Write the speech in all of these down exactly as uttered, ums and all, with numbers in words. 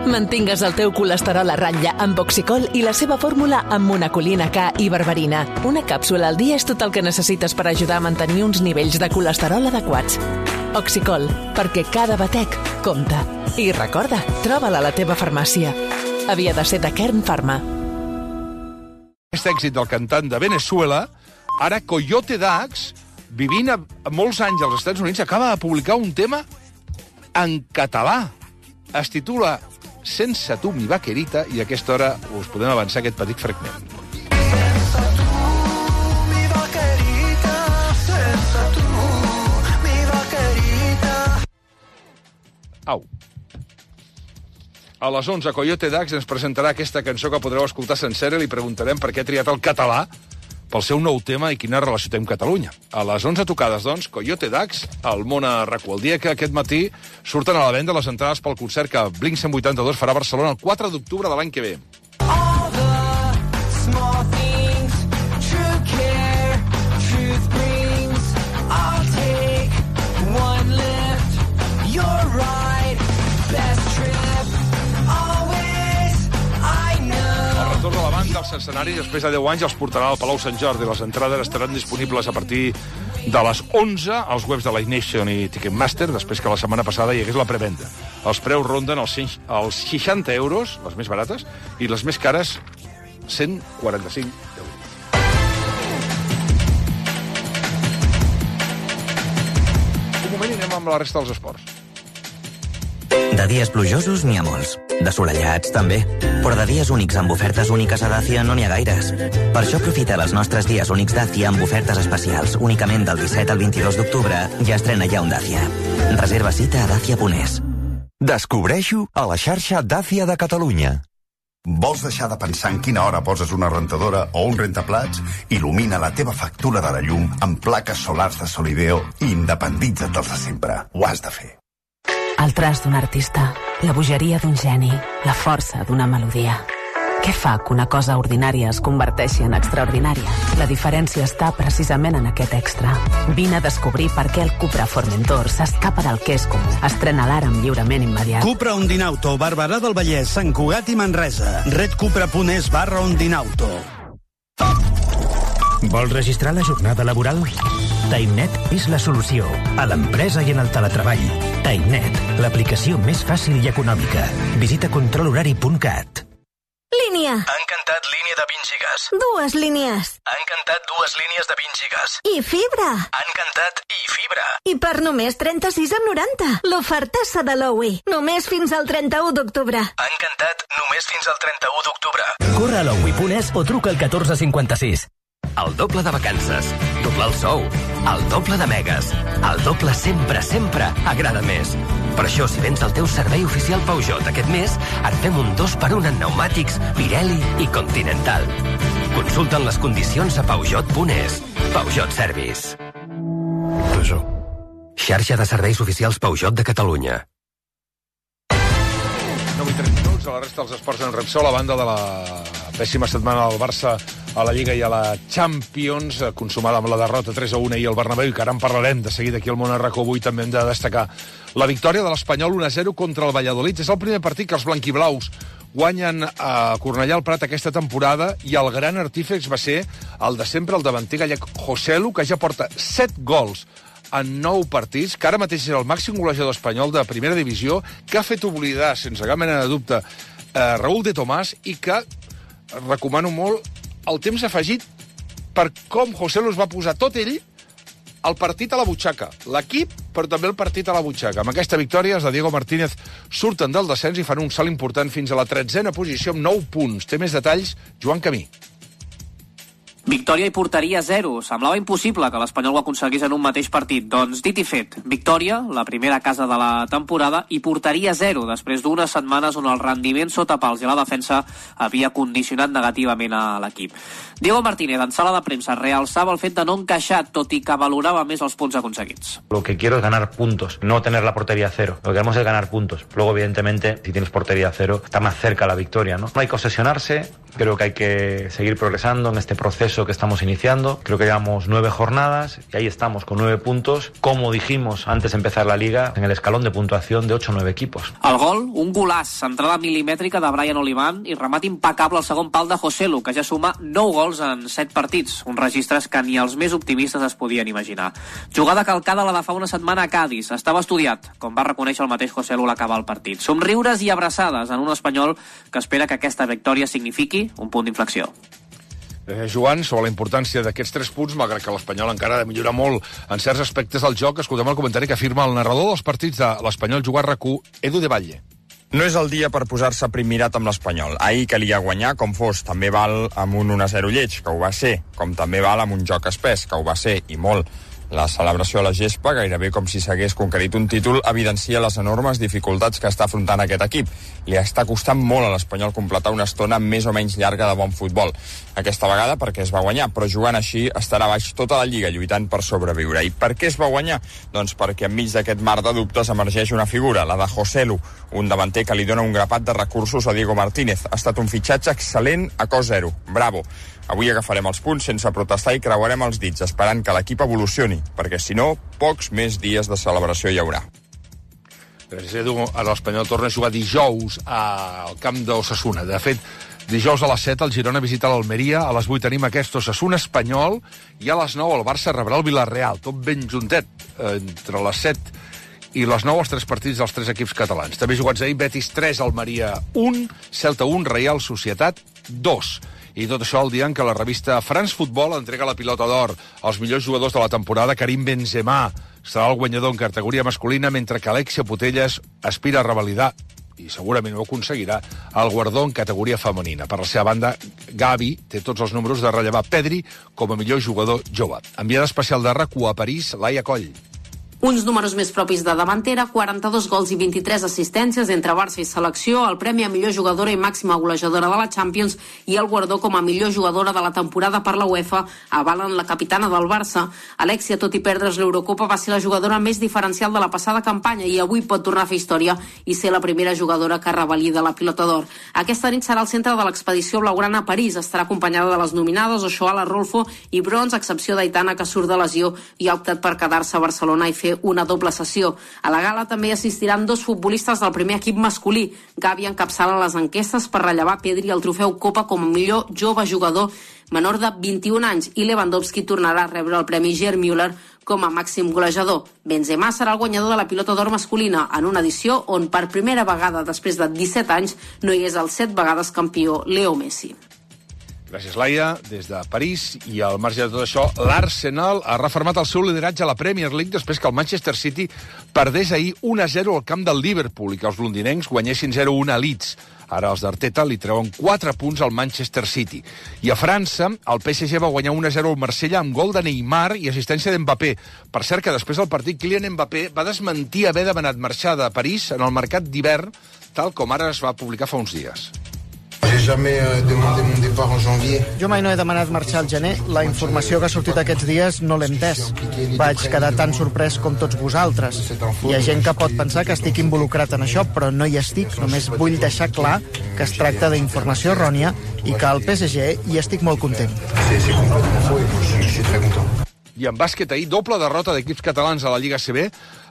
Mantingues el teu colesterol a ratlla amb Oxicol i la seva fórmula amb monacolina K i berberina. Una càpsula al dia és tot el que necessites per ajudar a mantenir uns nivells de colesterol adequats. Oxicol, perquè cada batec compta. I recorda, troba-la a la teva farmàcia. Havia de ser de Kern Pharma. Aquest èxit del cantant de Venezuela, ara Coyote Dax, vivint a molts anys als Estats Units, acaba de publicar un tema en català. Es titula Sense tu, mi vaquerita, i a aquesta hora us podem avançar aquest petit fragment. Sense tu, mi vaquerita, sense tu, mi vaquerita. Au. A les onze, Coyote Dax ens presentarà aquesta cançó que podreu escoltar sencera i li preguntarem per què ha triat el català pel seu nou tema i quina relació té amb Catalunya. A les onze tocades, doncs, Coyote Dax, al Mona R A C U. El dia que aquest matí surten a la venda les entrades pel concert que Blink cent vuitanta-dos farà a Barcelona el quatre d'octubre de l'any que ve. All the small things, true care, truth brings. I'll take one lift, you're right, best trip, always, I know. El retorn de la banda als escenaris després de deu anys els portarà al Palau Sant Jordi. Les entrades estaran disponibles a partir de les onze als webs de Live Nation i Ticketmaster, després que la setmana passada hi hagués la prevenda. Els preus ronden els seixanta euros, les més barates, i les més cares, cent quaranta-cinc euros. Un moment i anem amb la resta dels esports. De dies plujosos n'hi ha molts. De solellats, també. Però de dies únics amb ofertes úniques a Dacia no n'hi ha gaires. Per això aprofita dels nostres dies únics Dacia amb ofertes especials. Únicament del disset al vint-i-dos d'octubre ja estrena ja un Dacia. Reserva cita a dacia punt es. Descobreixo a la xarxa Dacia de Catalunya. Vols deixar de pensar en quina hora poses una rentadora o un rentaplats? Il·lumina la teva factura de la llum amb plaques solars de Solideo i independitza't dels de sempre. Ho has de fer. El traç d'un artista, la bogeria d'un geni, la força d'una melodia. Què fa que una cosa ordinària es converteixi en extraordinària? La diferència està precisament en aquest extra. Vine a descobrir per què el Cupra Formentor s'escapa del que és comú. Estrena l'ara amb lliurament immediat. Cupra Ondinauto, Barberà del Vallès, Sant Cugat i Manresa. redcupra punt es barra Ondinauto. Vols registrar la jornada laboral? TimeNet és la solució a l'empresa i en el teletreball. TimeNet, l'aplicació més fàcil i econòmica. Visita control horari punt cat. Línia. Ha encantat línia de vint gigas. Dues línies. Ha encantat dues línies de vint gigas. I fibra. Ha encantat i fibra. I per només trenta-sis amb noranta. L'ofertassa de l'Owi. Només fins al trenta-u d'octubre. Ha encantat només fins al trenta-u d'octubre. Corre a l'Owi punt es o truca al catorze cinquanta-sis. El doble de vacances, doble el sou, el doble de megas, el doble sempre, sempre agrada més. Per això, si vens el teu servei oficial Peugeot aquest mes, et fem un dos per un en pneumàtics, Pirelli i Continental. Consulta'n les condicions a peugeot punt es. Peugeot Service. Peugeot. Xarxa de serveis oficials Peugeot de Catalunya. nou i trenta minuts, a la resta dels esports en Repsol, a banda de la pèssima setmana del Barça a la Lliga i a la Champions, consumada amb la derrota tres a un ahir al Bernabéu, i que ara en parlarem de seguida aquí al Món R A C U. Avui també hem de destacar la victòria de l'Espanyol un a zero contra el Valladolid. És el primer partit que els blanquiblaus guanyen a Cornellà al Prat aquesta temporada, i el gran artífex va ser el de sempre, el davanter gallec Joselu, que ja porta set gols en nou partits, que ara mateix és el màxim golejador espanyol de primera divisió, que ha fet oblidar, sense cap mena de dubte, eh, Raúl de Tomàs, i que recomano molt el temps afegit per com Joselu es va posar tot ell el partit a la butxaca. L'equip, però també el partit a la butxaca. Amb aquesta victòria, els de Diego Martínez surten del descens i fan un salt important fins a la tretzena posició amb nou punts. Té més detalls Joan Camí. Victòria i porteria zero. Semblava impossible que l'Espanyol ho aconseguís en un mateix partit. Doncs dit i fet, victòria, la primera casa de la temporada, i porteria zero, després d'unes setmanes on el rendiment sota pals i la defensa havia condicionat negativament a l'equip. Diego Martínez, en sala de premsa, realçava el fet de no encaixar, tot i que valorava més els punts aconseguits. Lo que quiero es ganar puntos, no tener la portería cero. Lo que queremos es ganar puntos. Luego, evidentemente, si tienes portería cero, está más cerca la victoria, ¿no? No hay que obsesionarse, creo que hay que seguir progresando en este proceso proceso que estamos iniciando. Creo que llevamos nueve jornadas y ahí estamos con nueve puntos. Como dijimos antes de empezar la Liga, en el escalón de puntuación de ocho o nueve equipos. El gol, un golaç, centrada milimètrica de Brian Olivan i remat impecable al segon pal de Joselu, que ja suma nou gols en set partits, uns registres que ni els més optimistes es podien imaginar. Jugada calcada la de fa una setmana a Cádiz. Estava estudiat, com va reconèixer el mateix Joselu a l'acabar el partit. Somriures i abraçades en un espanyol que espera que aquesta victòria signifiqui un punt d'inflexió. Eh, Joan, sobre la importància d'aquests tres punts, malgrat que l'Espanyol encara ha de millorar molt en certs aspectes del joc, escoltem el comentari que afirma el narrador dels partits de l'Espanyol Jugar R A C U, Edu de Valle. No és el dia per posar-se primirat amb l'Espanyol. Ahir calia guanyar com fos. També val amb un un a zero lleig, que ho va ser, com també val amb un joc espès, que ho va ser, i molt. La celebració a la gespa, gairebé com si s'hagués conquerit un títol, evidencia les enormes dificultats que està afrontant aquest equip. Li està costant molt a l'Espanyol completar una estona més o menys llarga de bon futbol. Aquesta vegada perquè es va guanyar, però jugant així estarà baix tota la Lliga lluitant per sobreviure. I per què es va guanyar? Doncs perquè enmig d'aquest mar de dubtes emergeix una figura, la de Joselu, un davanter que li dona un grapat de recursos a Diego Martínez. Ha estat un fitxatge excel·lent a cost zero. Bravo. Avui agafarem els punts sense protestar i creuarem els dits, esperant que l'equip evolucioni, perquè si no, pocs més dies de celebració hi haurà. Gràcies, Edu. Ara l'Espanyol torna a jugar dijous al camp d'Osasuna. De fet, dijous a les set el Girona visita l'Almeria, a les vuit tenim aquest Osasuna Espanyol i a les nou el Barça rebrà el Villarreal, tot ben juntet, entre les set i les nou els tres partits dels tres equips catalans. També jugats ahir, Betis tres, Almeria un, Celta un, Real Societat dos. I tot això el dia en què la revista France Football entrega la pilota d'or als millors jugadors de la temporada. Karim Benzema serà el guanyador en categoria masculina, mentre que Alexia Putellas aspira a revalidar, i segurament ho aconseguirà, el guardó en categoria femenina. Per la seva banda, Gavi té tots els números de rellevar Pedri com a millor jugador jove. Enviada especial de R A C U a París, Laia Coll. Uns números més propis de davantera, quaranta-dos gols i vint-i-tres assistències entre Barça i selecció, el premi a millor jugadora i màxima golejadora de la Champions i el guardó com a millor jugadora de la temporada per la UEFA avalen la capitana del Barça. Alexia, tot i perdre's l'Eurocopa, va ser la jugadora més diferencial de la passada campanya i avui pot tornar a fer història i ser la primera jugadora que revalida la pilota d'or. Aquesta nit serà el centre de l'expedició blaugrana a París. Estarà acompanyada de les nominades Oshoala, Rolfo i Brons, a excepció d'Aitana, que surt de lesió i ha optat per quedar-se a Barcelona i fer una doble sessió. A la gala també assistiran dos futbolistes del primer equip masculí. Gavi encapçala les enquestes per rellevar Pedri el trofeu Copa com a millor jove jugador menor de vint-i-un anys i Lewandowski tornarà a rebre el premi Gerd Müller com a màxim golejador. Benzema serà el guanyador de la pilota d'or masculina en una edició on per primera vegada després de disset anys no hi és el set vegades campió Leo Messi. Gràcies, Laia. Des de París i al marge de tot això, l'Arsenal ha refermat el seu lideratge a la Premier League després que el Manchester City perdés ahir un a zero al camp del Liverpool i que els londinencs guanyessin zero a un a Leeds. Ara els d'Arteta li treuen quatre punts al Manchester City. I a França, el P S G va guanyar un a zero al Marsella amb gol de Neymar i assistència d'Mbappé. Per cert que després del partit, Kylian Mbappé va desmentir haver demanat marxar de París en el mercat d'hivern, tal com ara es va publicar fa uns dies. Jo mai no he demanat marxar al gener. La informació que ha sortit aquests dies no l'he entès. Vaig quedar tan sorprès com tots vosaltres. Hi ha gent que pot pensar que estic involucrat en això, però no hi estic. Només vull deixar clar que es tracta d'informació errònia i que al P S G hi estic molt content. I en bàsquet ahir, doble derrota d'equips catalans a la Lliga A C B.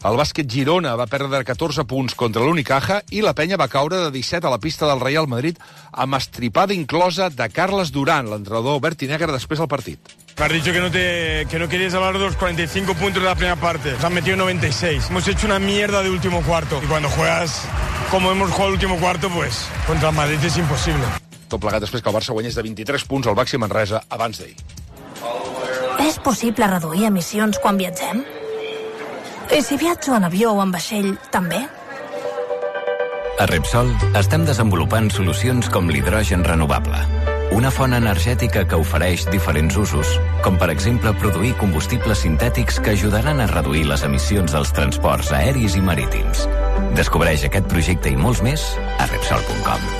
El bàsquet Girona va perdre catorze punts contra l'Unicaja i la penya va caure de disset a la pista del Real Madrid amb estripada inclosa de Carles Durán, l'entrenador verd i negre, després del partit. Me has dicho que no, te, que no querías hablar de los cuarenta y cinco puntos de la primera parte. Nos han metido noventa y seis. Hemos hecho una mierda de último cuarto. Y cuando juegas como hemos jugado el último cuarto, pues contra el Madrid es imposible. Tot plegat després que el Barça guanyés de vint-i-tres punts al Baxi Manresa abans d'ahir. És possible reduir emissions quan viatgem? I si viatjo en avió o en vaixell, també? A Repsol estem desenvolupant solucions com l'hidrogen renovable, una font energètica que ofereix diferents usos, com per exemple produir combustibles sintètics que ajudaran a reduir les emissions dels transports aeris i marítims. Descobreix aquest projecte i molts més a Repsol punt com.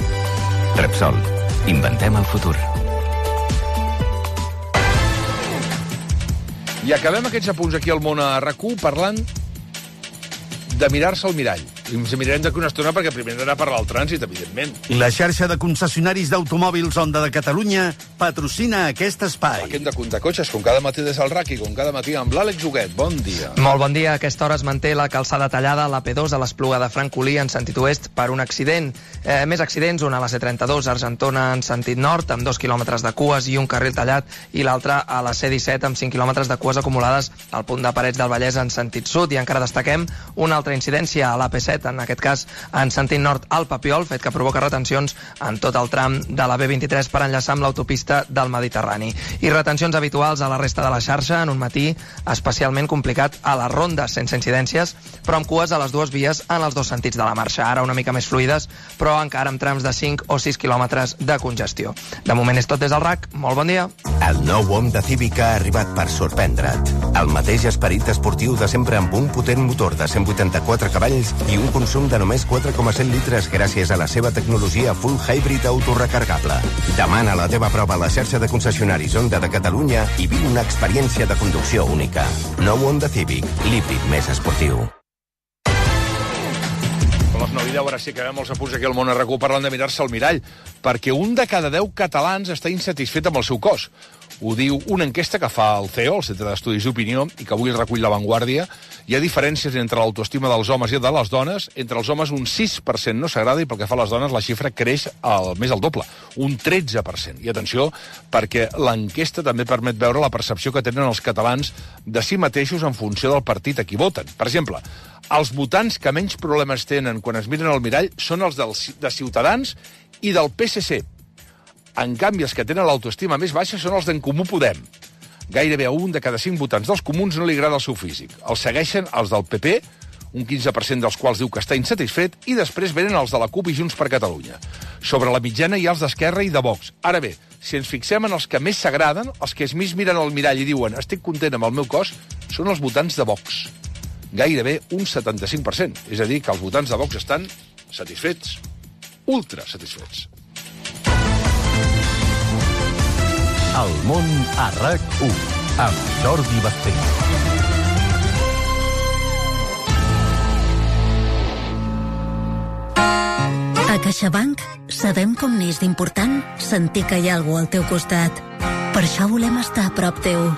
Repsol. Inventem el futur. I acabem aquests apunts aquí al món a R A C U parlant de mirar-se al mirall. I ens mirarem d'aquí una estona perquè primer hem d'anar a parlar del trànsit, evidentment. La xarxa de concessionaris d'automòbils Honda de Catalunya patrocina aquest espai. Aquí hem de comptar cotxes, com cada matí des del R A C i com cada matí amb l'Àlex Huguet. Bon dia. Molt bon dia. A aquesta hora es manté la calçada tallada a la P dos a l'Espluga de Francolí en sentit oest per un accident. Eh, més accidents, una a la C trenta-dos, Argentona en sentit nord, amb dos quilòmetres de cues i un carril tallat, i l'altra a la C disset amb cinc quilòmetres de cues acumulades al punt de Parets del Vallès en sentit sud. I encara destaquem una altra incidència a la P set, en aquest cas en sentit nord al Papiol, fet que provoca retencions en tot el tram de la B vint-i-tres per enllaçar amb l'autopista del Mediterrani. I retencions habituals a la resta de la xarxa en un matí especialment complicat a les rondes, sense incidències, però amb cues a les dues vies en els dos sentits de la marxa. Ara una mica més fluides, però encara amb trams de cinc o sis quilòmetres de congestió. De moment és tot des del R A C. Molt bon dia. El nou Honda Civic ha arribat per sorprendre't. El mateix esperit esportiu de sempre amb un potent motor de cent vuitanta-quatre cavalls i un consum de només quatre coma set litres gràcies a la seva tecnologia full hybrid autorecargable. Demana la teva prova a la xarxa de concessionaris Honda de Catalunya i viu una experiència de conducció única. Nou Honda Civic, l'híbrid més esportiu. A les nou i deu, ara sí que veiem els apunts aquí al món a RAC u parlant de mirar-se al mirall, perquè un de cada deu catalans està insatisfet amb el seu cos. Ho diu una enquesta que fa el C E O, el Centre d'Estudis d'Opinió, i que avui recull La Vanguardia. Hi ha diferències entre l'autoestima dels homes i de les dones. Entre els homes un sis per cent no s'agrada i pel que fa a les dones la xifra creix al, més al doble, un tretze per cent. I atenció, perquè l'enquesta també permet veure la percepció que tenen els catalans de si mateixos en funció del partit a qui voten. Per exemple, els votants que menys problemes tenen quan es miren al mirall són els del, de Ciutadans i del P S C. En canvi, els que tenen l'autoestima més baixa són els d'En Comú Podem. Gairebé a un de cada cinc votants dels comuns no li agrada el seu físic. Els segueixen els del P P, un quinze per cent dels quals diu que està insatisfet, i després venen els de la CUP i Junts per Catalunya. Sobre la mitjana hi ha els d'Esquerra i de Vox. Ara bé, si ens fixem en els que més s'agraden, els que es més miren al mirall i diuen estic content amb el meu cos, són els votants de Vox. Gairebé un setanta-cinc per cent. És a dir, que els votants de Vox estan satisfets, ultra satisfets. El món a RAC u, amb Jordi Basté. A CaixaBank sabem com n'és d'important sentir que hi ha algú al teu costat. Per això volem estar a prop teu,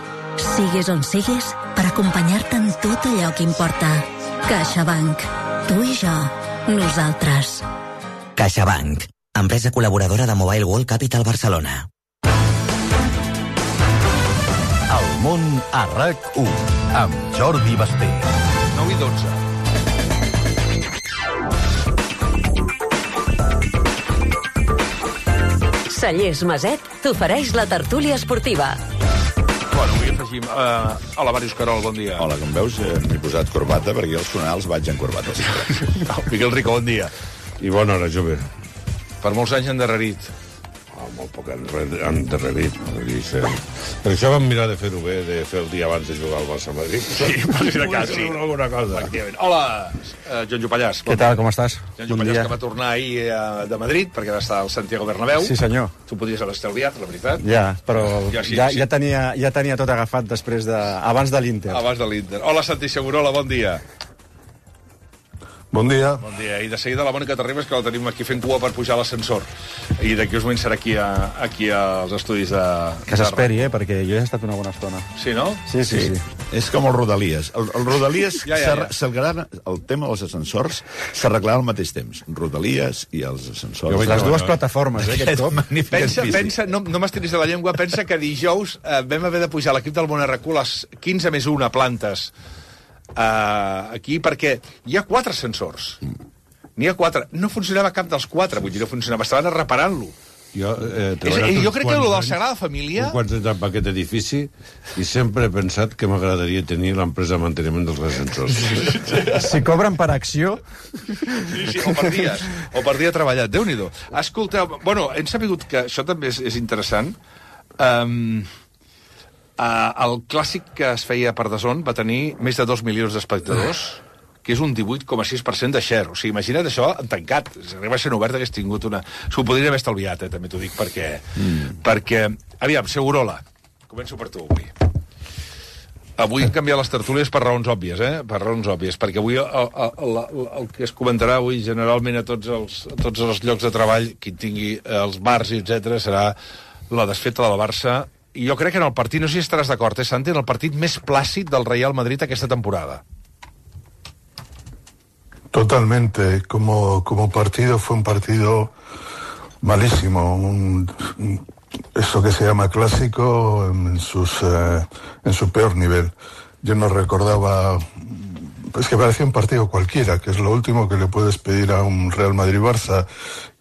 siguis on siguis, per acompanyar-te en tot allò que importa. CaixaBank. Tu i jo. Nosaltres. CaixaBank. Empresa col·laboradora de Mobile World Capital Barcelona. El món a RAC u, amb Jordi Basté. nou i dotze. Cellers Maset t'ofereix la tertúlia esportiva. Bueno, avui afegim... Uh, hola, Màrius Carol, bon dia. Hola, com veus, eh, m'he posat corbata, perquè als funerals vaig en corbata. No, Miquel Rico, bon dia. I bona hora, jove. Per molts anys endarrerit. Oh, molt poc endarrerit. Per això vam mirar de fer-ho bé, de fer el dia abans de jugar al Barça-Madrid. Sí, per si de cas, sí. Alguna cosa. Hola, uh, Joan Jopallàs. Què tal, com estàs? Joan Jopallàs, que va tornar ahir uh, de Madrid, perquè va estar al Santiago Bernabéu. Sí, senyor. Tu podies haver estalviat, la veritat. Ja, però ja, sí, ja, sí. ja, tenia, ja tenia tot agafat després de... abans de l'Inter. Abans de l'Inter. Hola, Santi Segurola, bon dia. Bon dia. Bon dia. I de seguida la Mònica Terribas, que la tenim aquí fent cua per pujar a l'ascensor. I d'aquí us moment serà aquí, a, aquí als estudis de... Que s'esperi, eh, perquè jo he estat una bona estona. Sí, no? Sí, sí, sí. sí. És com el Rodalies. El, el Rodalies, ja, ja, ja. s'arreglarà, el tema dels ascensors s'arreglarà al mateix temps. Rodalies i els ascensors. Jo les dues plataformes, eh, aquest cop. Pensa, pensa, no, no m'estiris de la llengua, pensa que dijous eh, vam haver de pujar l'equip del Món a RAC u les quinze més una plantes Uh, aquí, perquè hi ha quatre ascensors. N'hi ha quatre. No funcionava cap dels quatre, vull dir, no funcionava. Estaven reparant-lo. Jo, eh, és, jo crec que el de la Sagrada Família... Un quants anys amb aquest edifici i sempre he pensat que m'agradaria tenir l'empresa de manteniment dels ascensors. Si cobren per acció... Sí, sí, o per dies. O per dia treballat. Déu-n'hi-do. Escolteu, bueno, hem sabut que això també és, és interessant. Um, Uh, el clàssic que es feia per D A Z N va tenir més de dos milions d'espectadors, que és un divuit coma sis per cent de share. O sigui, imagina't això en tancat. Si arriba a ser obert hagués tingut una... S'ho podria haver estalviat, eh, també t'ho dic, perquè... Mm. Perquè... Aviam, Segurola, començo per tu avui. Avui hem canviat les tertúlies per raons òbvies, eh? Per raons òbvies, perquè avui el, el, el, el que es comentarà avui generalment a tots els, a tots els llocs de treball, qui tingui els bars i etcètera, serà la desfeta del Barça. I jo crec que en el partit, no sé si estaràs d'acord, eh, Santi, en el partit més plàcid del Real Madrid aquesta temporada. Totalmente. Como, como partido fue un partido malísimo, un, un eso que se llama clásico en, sus, eh, en su peor nivel. Yo no recordaba, es que parecía un partido cualquiera, que es lo último que le puedes pedir a un Real Madrid-Barça,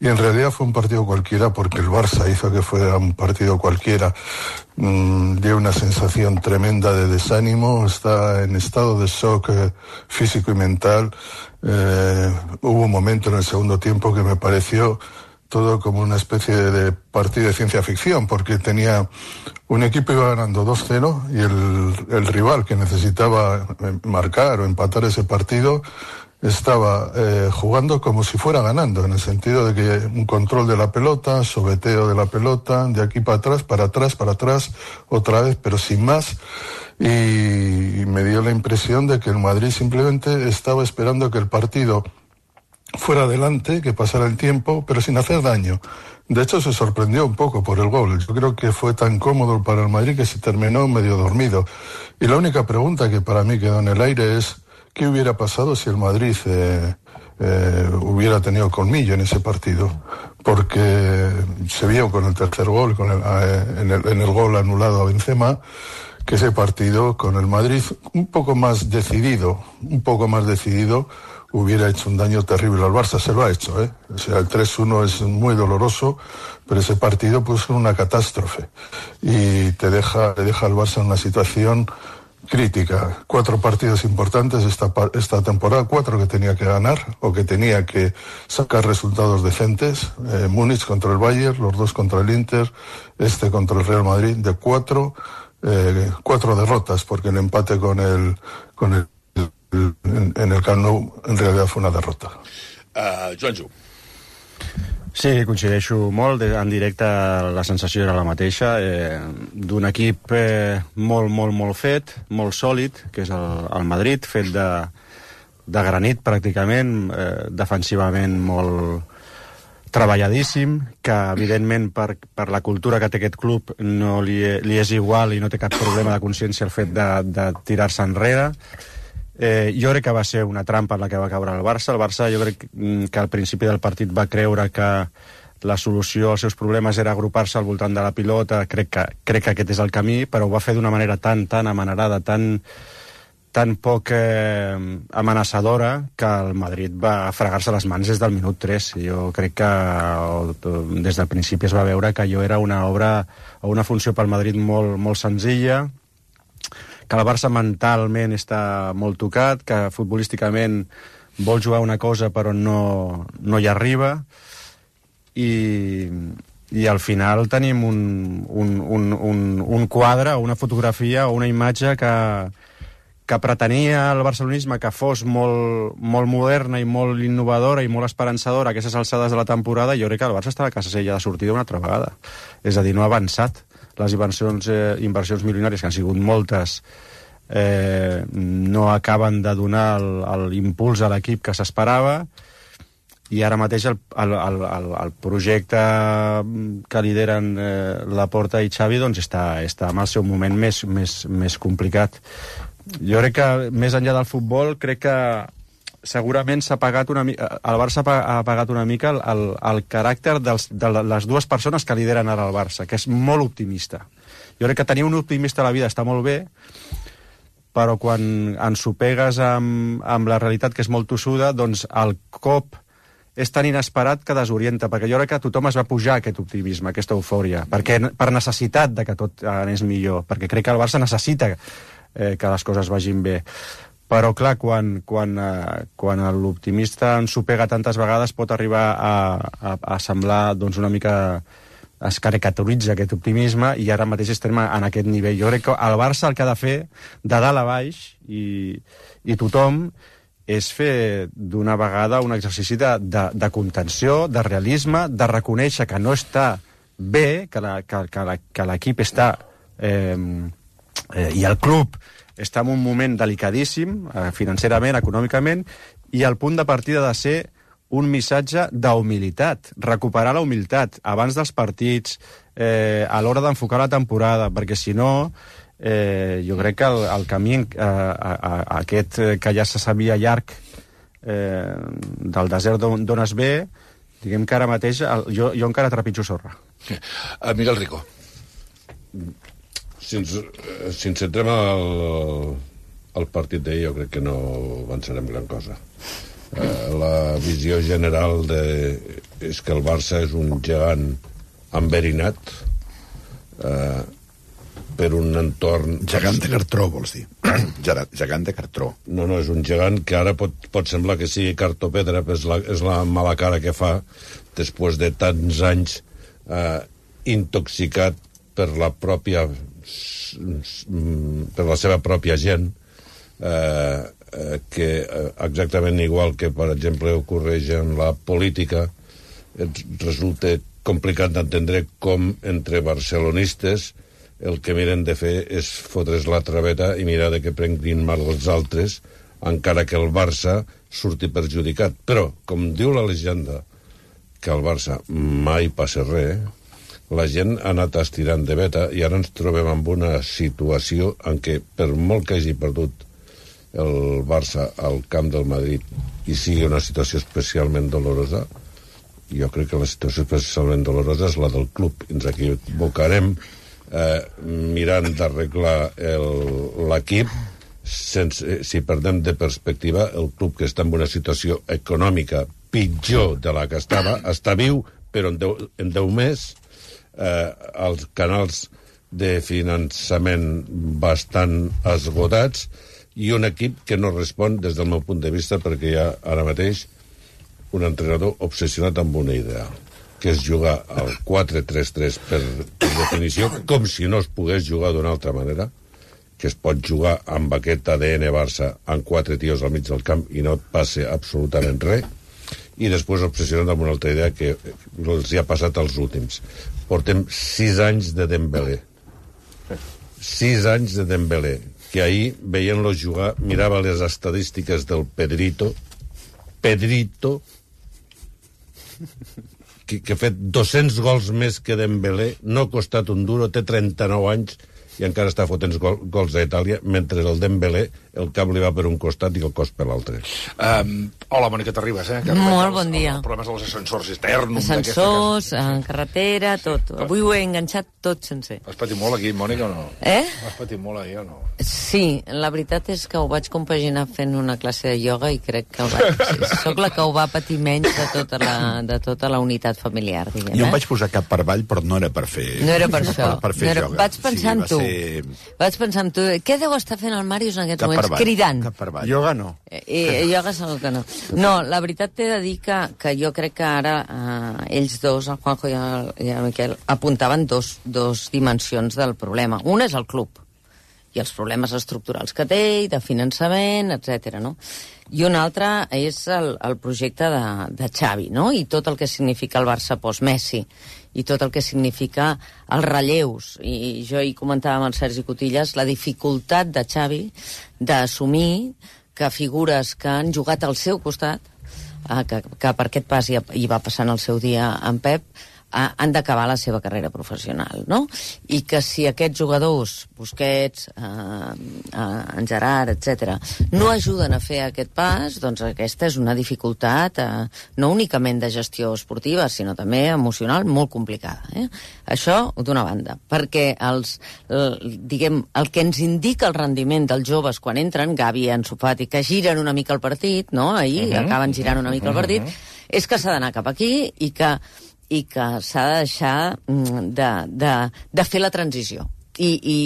y en realidad fue un partido cualquiera porque el Barça hizo que fuera un partido cualquiera. Mm, dio una sensación tremenda de desánimo, está en estado de shock eh, físico y mental. Eh, hubo un momento en el segundo tiempo que me pareció todo como una especie de partido de ciencia ficción, porque tenía un equipo iba ganando dos cero y el, el rival que necesitaba marcar o empatar ese partido estaba eh, jugando como si fuera ganando, en el sentido de que un control de la pelota, sobeteo de la pelota, de aquí para atrás, para atrás, para atrás, otra vez, pero sin más. Y me dio la impresión de que el Madrid simplemente estaba esperando que el partido fuera adelante, que pasara el tiempo, pero sin hacer daño. De hecho, se sorprendió un poco por el gol. Yo creo que fue tan cómodo para el Madrid que se terminó medio dormido. Y la única pregunta que para mí quedó en el aire es ¿qué hubiera pasado si el Madrid eh, eh, hubiera tenido colmillo en ese partido? Porque se vio con el tercer gol, con el, eh, en, el, en el gol anulado a Benzema, que ese partido con el Madrid un poco más decidido, un poco más decidido, hubiera hecho un daño terrible al Barça. Se lo ha hecho, ¿eh? O sea, el tres uno es muy doloroso, pero ese partido pues es una catástrofe y te deja, te deja al Barça en una situación crítica. Cuatro partidos importantes esta, esta temporada, cuatro que tenía que ganar o que tenía que sacar resultados decentes. Eh, Múnich contra el Bayern, los dos contra el Inter, este contra el Real Madrid. De cuatro, eh, cuatro derrotas, porque el empate con el, con el En, en el Camp Nou en realitat fue una derrota. Uh, Joanjo. Sí, coincideixo molt. En directe la sensació era la mateixa, eh, d'un equip eh, molt, molt, molt fet, molt sòlid, que és el, el Madrid, fet de, de granit pràcticament, eh, defensivament molt treballadíssim, que evidentment per, per la cultura que té aquest club no li, li és igual i no té cap problema de consciència el fet de, de tirar-se enrere. Eh, jo crec que va ser una trampa en la que va caure el Barça. El Barça jo crec que al principi del partit va creure que la solució als seus problemes era agrupar-se al voltant de la pilota. Crec que, crec que aquest és el camí, però ho va fer d'una manera tan, tan amanerada, tan, tan poc eh, amenaçadora, que el Madrid va fregar-se les mans des del minut tres. Jo crec que o, des del principi es va veure que allò era una obra o una funció pel Madrid molt, molt senzilla, que el Barça mentalment està molt tocat, que futbolísticament vol jugar una cosa però no, no hi arriba, i, i al final tenim un, un, un, un, un quadre, una fotografia o una imatge que, que pretenia el barcelonisme que fos molt, molt moderna i molt innovadora i molt esperançadora a aquestes alçades de la temporada. Jo crec que el Barça està a casa seva de sortida una altra vegada. És a dir, no ha avançat. Les inversions, eh, inversions milionàries, que han sigut moltes, eh, no acaben de donar l'impuls a l'equip que s'esperava, i ara mateix el, el, el, el projecte que lideren eh, Laporta i Xavi doncs està, està en el seu moment més, més, més complicat. Jo crec que, més enllà del futbol, crec que segurament s'ha pagat una mica, el Barça ha pagat una mica el, el, el caràcter dels, de les dues persones que lideren ara el Barça, que és molt optimista. Jo crec que tenir un optimista a la vida està molt bé, però quan ens ho pegues amb, amb la realitat, que és molt tossuda, doncs el cop és tan inesperat que desorienta, perquè jo crec que tothom es va pujar aquest optimisme, aquesta eufòria, perquè, per necessitat de que tot anés millor, perquè crec que el Barça necessita eh, que les coses vagin bé. Però, clar, quan, quan, eh, quan l'optimista ens ho pega tantes vegades pot arribar a, a, a semblar doncs, una mica... es caricaturitza aquest optimisme, i ara mateix estem en aquest nivell. Jo crec que el Barça el que ha de fer, de dalt a baix, i, i tothom, és fer d'una vegada un exercici de, de, de contenció, de realisme, de reconèixer que no està bé, que l'equip està... Eh, eh, i el club està en un moment delicadíssim, eh, financerament, econòmicament, i el punt de partida ha de ser un missatge d'humilitat, recuperar la humilitat abans dels partits, eh, a l'hora d'enfocar la temporada, perquè si no, eh, jo crec que el, el camí eh, a, a, a aquest que ja se sabia llarg eh, del desert d'on es ve, diguem que ara mateix el, jo, jo encara trepitjo sorra. Uh, Miguel Rico. Si ens, si ens centrem al, al partit d'ahir, jo crec que no avançarem gran cosa. Uh, la visió general de, és que el Barça és un gegant enverinat uh, per un entorn... Gegant de cartró, vols dir? Gegant de cartró. No, no, és un gegant que ara pot, pot semblar que sigui cartopedra, però és la, és la mala cara que fa després de tants anys uh, intoxicat per la pròpia per la seva pròpia gent, eh, eh, que exactament igual que, per exemple, ocorreix en la política, resulta complicat d'entendre com entre barcelonistes el que miren de fer és fotre's la traveta i mirar de que prenguin mal els altres, encara que el Barça surti perjudicat. Però, com diu la llegenda, que al Barça mai passa res, la gent ha anat estirant de veta i ara ens trobem en una situació en què, per molt que hagi perdut el Barça al camp del Madrid i sigui una situació especialment dolorosa, jo crec que la situació especialment dolorosa és la del club. Ens equivocarem eh, mirant d'arreglar l'equip sense, si perdem de perspectiva el club, que està en una situació econòmica pitjor de la que estava, està viu, però en deu, en deu més Eh, els canals de finançament bastant esgotats i un equip que no respon des del meu punt de vista, perquè hi ha ara mateix un entrenador obsessionat amb una idea, que és jugar al quatre tres tres per, per definició, com si no es pogués jugar d'una altra manera, que es pot jugar amb aquest A D N Barça amb quatre tios al mig del camp i no et passe absolutament res, i després obsessionat amb una altra idea que els hi ha passat als últims. Portem sis anys de Dembélé. Sis anys de Dembélé, que ahir, veient-lo jugar, mirava les estadístiques del Pedrito, Pedrito, que, que ha fet dos-cents gols més que Dembélé, no ha costat un duro, té trenta-nou anys, i encara està fotent gol, gols a Itàlia, mentre el Dembélé, el cap li va per un costat i el cos per l'altre. Um, hola, Mònica Terribas. Eh? Molt bon dia. Els problemes dels ascensors eternum. Ascensors, en carretera, tot. Avui ho he enganxat tot sencer. Has patit molt aquí, Mònica, o no? Eh? Has patit molt ahir, o no? Sí, la veritat és que ho vaig compaginar fent una classe de ioga i crec que el vaig... Soc la que ho va patir menys de tota la, de tota la unitat familiar, diguem. Jo em vaig posar cap per avall, però no era per fer... No era per això. Per, per fer no era... ioga. Vaig pensar en tu. Ser... Vaig pensar en tu. Què deu estar fent el Màrius en aquests cap moments? Cridant. Cap per avall. Ioga no. Eh, eh, ioga segur que no. No, la veritat t'he de dir que, que jo crec que ara eh, ells dos, el Juanjo i el, i el Miquel, apuntaven dos, dos dimensions del problema. Una és el club i els problemes estructurals que té, i de finançament, etcètera, no? I una altra és el, el projecte de, de Xavi, no? I tot el que significa el Barça post-Messi, i tot el que significa els relleus. I jo hi comentava amb el Sergi Cotillas la dificultat de Xavi d'assumir que figures que han jugat al seu costat, eh, que, que per aquest pas hi, hi va passar en el seu dia en Pep, eh, han d'acabar la seva carrera professional, no? I que si aquests jugadors, Busquets, eh, eh, en Gerard, etcètera, no ajuden a fer aquest pas, doncs aquesta és una dificultat eh, no únicament de gestió esportiva, sinó també emocional, molt complicada. Eh? Això d'una banda, perquè els, el, diguem, el que ens indica el rendiment dels joves quan entren, Gavi i Ansu Fati, que giren una mica el partit, no? Ahir uh-huh. acaben girant una mica el partit, uh-huh. és que s'ha d'anar cap aquí i que i que s'ha de deixar de, de, de fer la transició. I, i,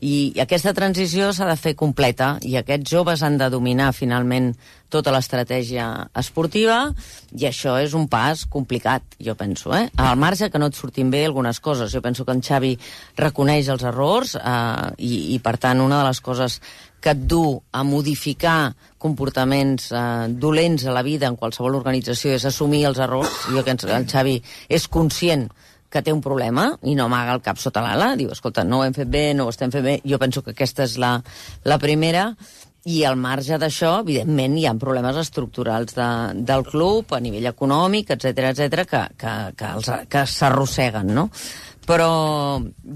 i aquesta transició s'ha de fer completa, i aquests joves han de dominar finalment tota l'estratègia esportiva, i això és un pas complicat, jo penso, eh? Al marge que no et surtin bé algunes coses. Jo penso que en Xavi reconeix els errors eh, i, i, per tant, una de les coses que et du a modificar comportaments eh, dolents a la vida en qualsevol organització és assumir els errors. Jo que el Xavi és conscient que té un problema i no amaga el cap sota l'ala, diu, escolta, no ho hem fet bé, no ho estem fent bé, jo penso que aquesta és la, la primera, i al marge d'això, evidentment, hi ha problemes estructurals de, del club, a nivell econòmic, etcètera, etcètera, que, que, que, els, que s'arrosseguen, no? Però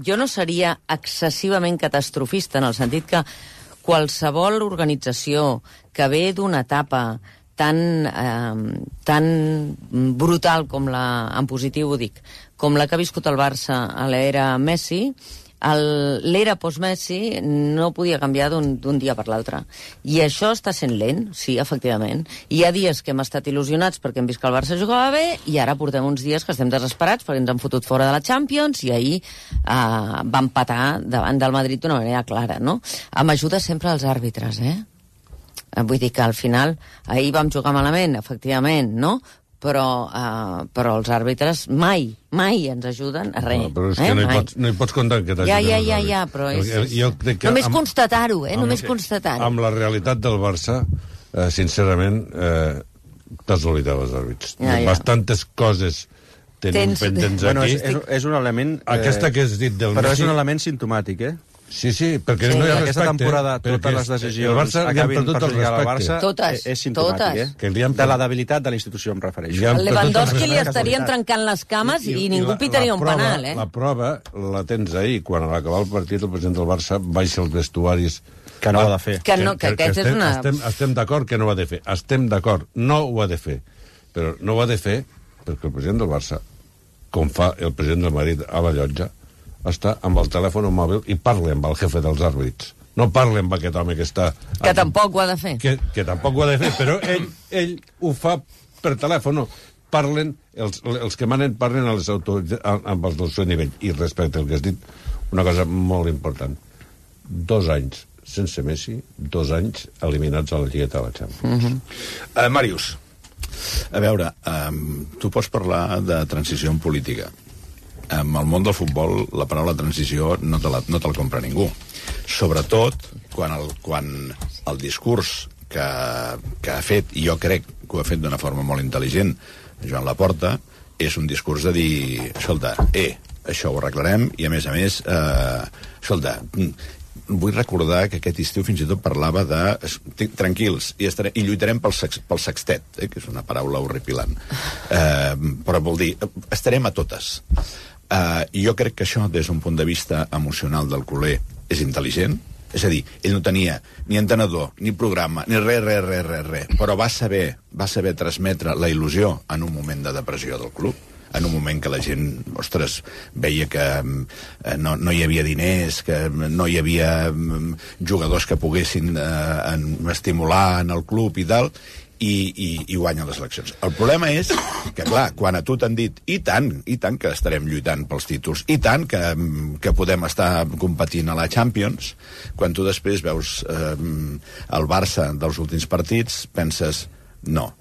jo no seria excessivament catastrofista, en el sentit que qualsevol organització que ve d'una etapa tan, eh, tan brutal com la, en positiu ho dic, com la que ha viscut el Barça a l'era Messi, l'era post-Messi no podia canviar d'un dia per l'altre. I això està sent lent, sí, efectivament. Hi ha dies que hem estat il·lusionats perquè hem vist que el Barça jugava bé i ara portem uns dies que estem desesperats perquè ens han fotut fora de la Champions i ahir eh, va empatar davant del Madrid d'una manera clara, no? Amb ajuda sempre als àrbitres, eh? Vull dir que al final ahir vam jugar malament, efectivament, no? Però, uh, però els àrbitres mai, mai ens ajuden a res. No, però és que eh? no, hi pots, no hi pots comptar que t'ajuden ja, ja, els ja, àrbitres. ja, però és... Jo, jo crec que només amb, constatar-ho, eh? amb, Només constatar-ho. Amb la realitat del Barça, eh, sincerament, eh, t'has oblidat els àrbitres. Ja, ja. Bastantes coses tenim Tens... pendents aquí. Bueno, és, és, és un element... Eh, Aquesta que has dit del però Messi... és un element simptomàtic, eh? Sí, sí, perquè sí, no hi ha aquesta respecte. temporada totes les decisions el Barça acabin per perjudicar el Barça totes, és simptomàtic, totes. eh? Que han... De la debilitat de la institució em refereixo. Al Lewandowski li estarien trencant les cames i, i, i ningú la, pitaria la un prova, penal, eh? La prova la tens ahir, quan a l'acabar el partit el president del Barça baixa els vestuaris... Que no ho ha de fer. Que, no, que, que, que aquest estem, és una... Estem, estem d'acord que no ho ha de fer. Estem d'acord, no ho ha de fer. Però no ho ha de fer perquè el president del Barça, com fa el president del Madrid a la llotja, està amb el telèfon mòbil i parla amb el jefe dels àrbits. No parla amb aquest home que està... Que aquí, tampoc ho ha de fer. Que, que tampoc ho ha de fer, però ell, ell ho fa per telèfon. Parlen, els, els que manen parlen a les amb els del seu nivell. I respecte al que has dit, una cosa molt important. Dos anys sense Messi, dos anys eliminats a la Lligueta de la Champions. Uh-huh. uh, Màrius, a veure, um, tu pots parlar de transició en política. En el món del futbol la paraula transició no te la, no te la compra ningú. Sobretot quan el, quan el discurs que, que ha fet, i jo crec que ho ha fet d'una forma molt intel·ligent, Joan Laporta, és un discurs de dir, escolta, eh, això ho arreglarem, i a més a més, eh, escolta, vull recordar que aquest estiu fins i tot parlava de tranquils, i, estarem, i lluitarem pel, sex, pel sextet, eh, que és una paraula horripilant. Eh, però vol dir, estarem a totes. Uh, i jo crec que això, des d'un punt de vista emocional del culer, és intel·ligent. És a dir, ell no tenia ni entenedor, ni programa, ni res, res, res, res, res, però va saber, va saber transmetre la il·lusió en un moment de depressió del club, en un moment que la gent, ostres, veia que eh, no, no hi havia diners, que no hi havia um, jugadors que poguessin eh, en, estimular en el club i tal, i, i, i guanya les eleccions. El problema és que, clar, quan a tu t'han dit i tant, i tant que estarem lluitant pels títols, i tant que, que podem estar competint a la Champions, quan tu després veus eh, el Barça dels últims partits, penses, no,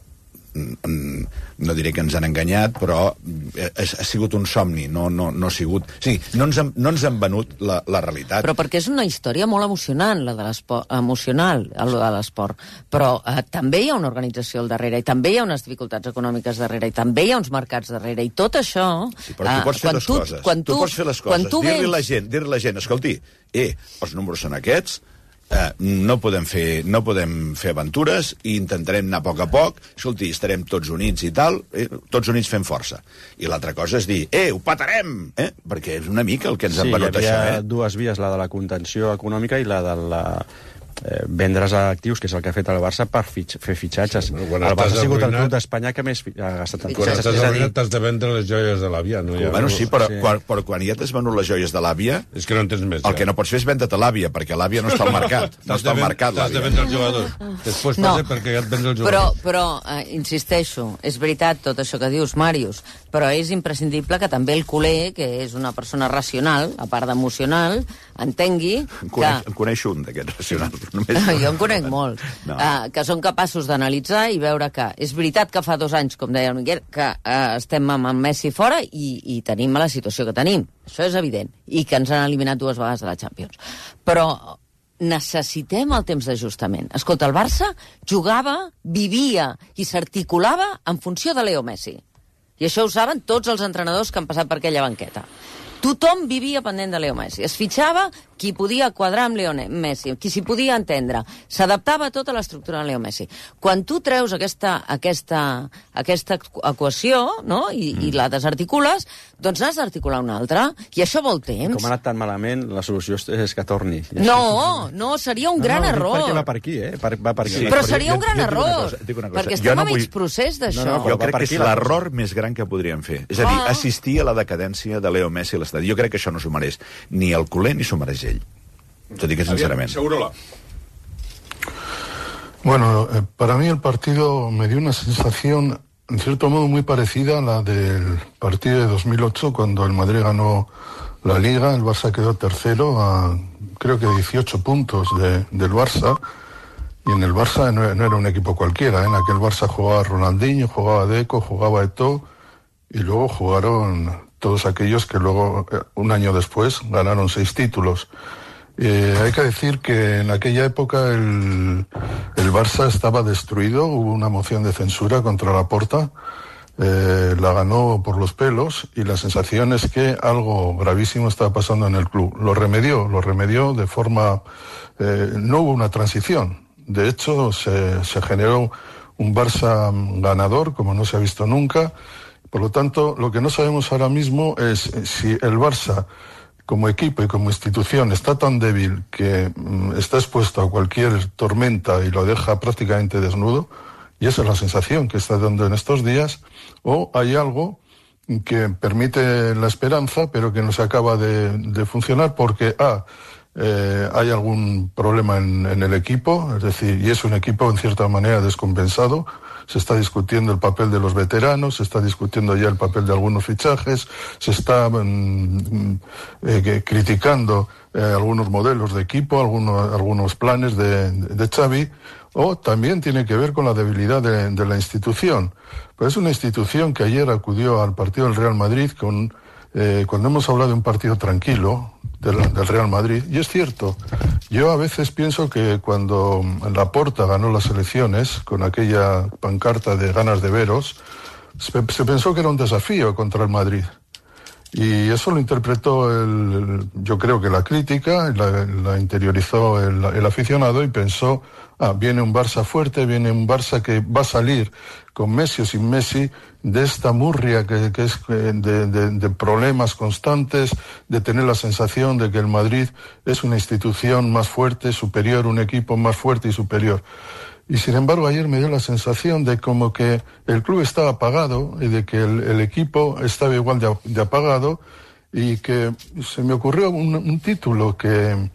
no diré que ens han enganyat, però ha, ha sigut un somni, no, no, no ha sigut... O sigui, no ens han, no ens han venut la, la realitat. Però perquè és una història molt emocionant, la de l'esport, emocional, el de l'esport. Però eh, també hi ha una organització al darrere, i també hi ha unes dificultats econòmiques darrere, i també hi ha uns mercats darrere, i tot això... Sí, però tu pots fer les tu, coses. Quan tu, tu pots fer les coses. Dir-li vens... la gent, dir-li la gent, escolti, eh, els números són aquests, Eh, no podem fer no podem fer aventures i intentarem anar a poc a poc, escolti, estarem tots units i tal, eh, tots units fent força. I l'altra cosa és dir, eh, ho patarem, eh? Perquè és una mica el que ens sí, han venut això, eh? Sí, hi havia dues vies, la de la contenció econòmica i la de la... Eh, vendre's a actius, que és el que ha fet el Barça per fitx, fer fitxatges. Sí, el Barça ha sigut el club d'Espanya que més ha gastat en fitxatges. Quan estàs arruïnat t'has de vendre les joies de l'àvia. No ha... Bueno, sí, però, sí. Quan, però quan ja t'has venut les joies de l'àvia... És que no en tens més. El ja. que no pots fer és vendre-te l'àvia, perquè l'àvia no està al mercat. No està al mercat, l'àvia. T'has de vendre el jugador. Després no, passa perquè ja et vens el jugador. Però, però eh, insisteixo, és veritat tot això que dius, Màrius, però és imprescindible que també el culer, que és una persona racional, a part d'emocional, entengui en coneix, que... En coneix un d'aquests racionals. Només... jo en conec molts. No. Uh, que són capaços d'analitzar i veure que és veritat que fa dos anys, com deia el Miquel, que uh, estem amb en Messi fora i, i tenim la situació que tenim. Això és evident. I que ens han eliminat dues vegades de la Champions. Però necessitem el temps d'ajustament. Escolta, el Barça jugava, vivia i s'articulava en funció de Leo Messi. I això ho saben tots els entrenadors que han passat per aquella banqueta. Tothom vivia pendent de Leo Messi. Es fitxava qui podia quadrar amb Leo Messi, qui s'hi podia entendre. S'adaptava a tota l'estructura de Leo Messi. Quan tu treus aquesta, aquesta, aquesta equació, no?, i, mm. i la desarticules, doncs n'has d'articular una altra. I això vol temps. Com ha anat tan malament, la solució és que torni. No, no, seria un no, gran no, error. Perquè va per aquí, eh? Per, va per aquí. Sí. Però seria un gran error, perquè estem a mig procés d'això. No, no, jo crec que és l'error més gran que podríem fer. És a dir, assistir a la decadència de Leo Messi a l'estadi. Jo crec que això no s'ho mereix ni el culer ni s'ho mereix ell. T'ho dic sincerament. Segurola. Bueno, eh, para mí el partido me dio una sensación, en cierto modo, muy parecida a la del partido de dos mil ocho, cuando el Madrid ganó la Liga, el Barça quedó tercero a, creo que dieciocho puntos de, del Barça, y en el Barça no, no era un equipo cualquiera, ¿eh? En aquel Barça jugaba Ronaldinho, jugaba Deco, jugaba Eto'o, y luego jugaron todos aquellos que luego, un año después, ganaron seis títulos. Eh, hay que decir que en aquella época el, el Barça estaba destruido, hubo una moción de censura contra Laporta, eh, la ganó por los pelos, y la sensación es que algo gravísimo estaba pasando en el club. Lo remedió, lo remedió de forma... Eh, no hubo una transición, de hecho se, se generó un Barça ganador como no se ha visto nunca. Por lo tanto, lo que no sabemos ahora mismo es si el Barça, como equipo y como institución, está tan débil que mm, está expuesto a cualquier tormenta y lo deja prácticamente desnudo, y esa es la sensación que está dando en estos días, o hay algo que permite la esperanza, pero que no se acaba de, de funcionar porque, ah, eh, hay algún problema en, en el equipo, es decir, y es un equipo en cierta manera descompensado. Se está discutiendo el papel de los veteranos, se está discutiendo ya el papel de algunos fichajes, se está mm, eh, criticando eh, algunos modelos de equipo, algunos, algunos planes de, de Xavi, o también tiene que ver con la debilidad de, de la institución. Pues es una institución que ayer acudió al partido del Real Madrid con, eh, cuando hemos hablado de un partido tranquilo del, del Real Madrid, y es cierto, yo a veces pienso que cuando Laporta ganó las elecciones con aquella pancarta de ganas de veros, se, se pensó que era un desafío contra el Madrid. Y eso lo interpretó, el, yo creo que la crítica, la, la interiorizó el, el aficionado y pensó, ah, viene un Barça fuerte, viene un Barça que va a salir con Messi o sin Messi de esta murria que, que es de, de, de problemas constantes, de tener la sensación de que el Madrid es una institución más fuerte, superior, un equipo más fuerte y superior. Y sin embargo ayer me dio la sensación de como que el club estaba apagado y de que el, el equipo estaba igual de, de apagado, y que se me ocurrió un, un título que,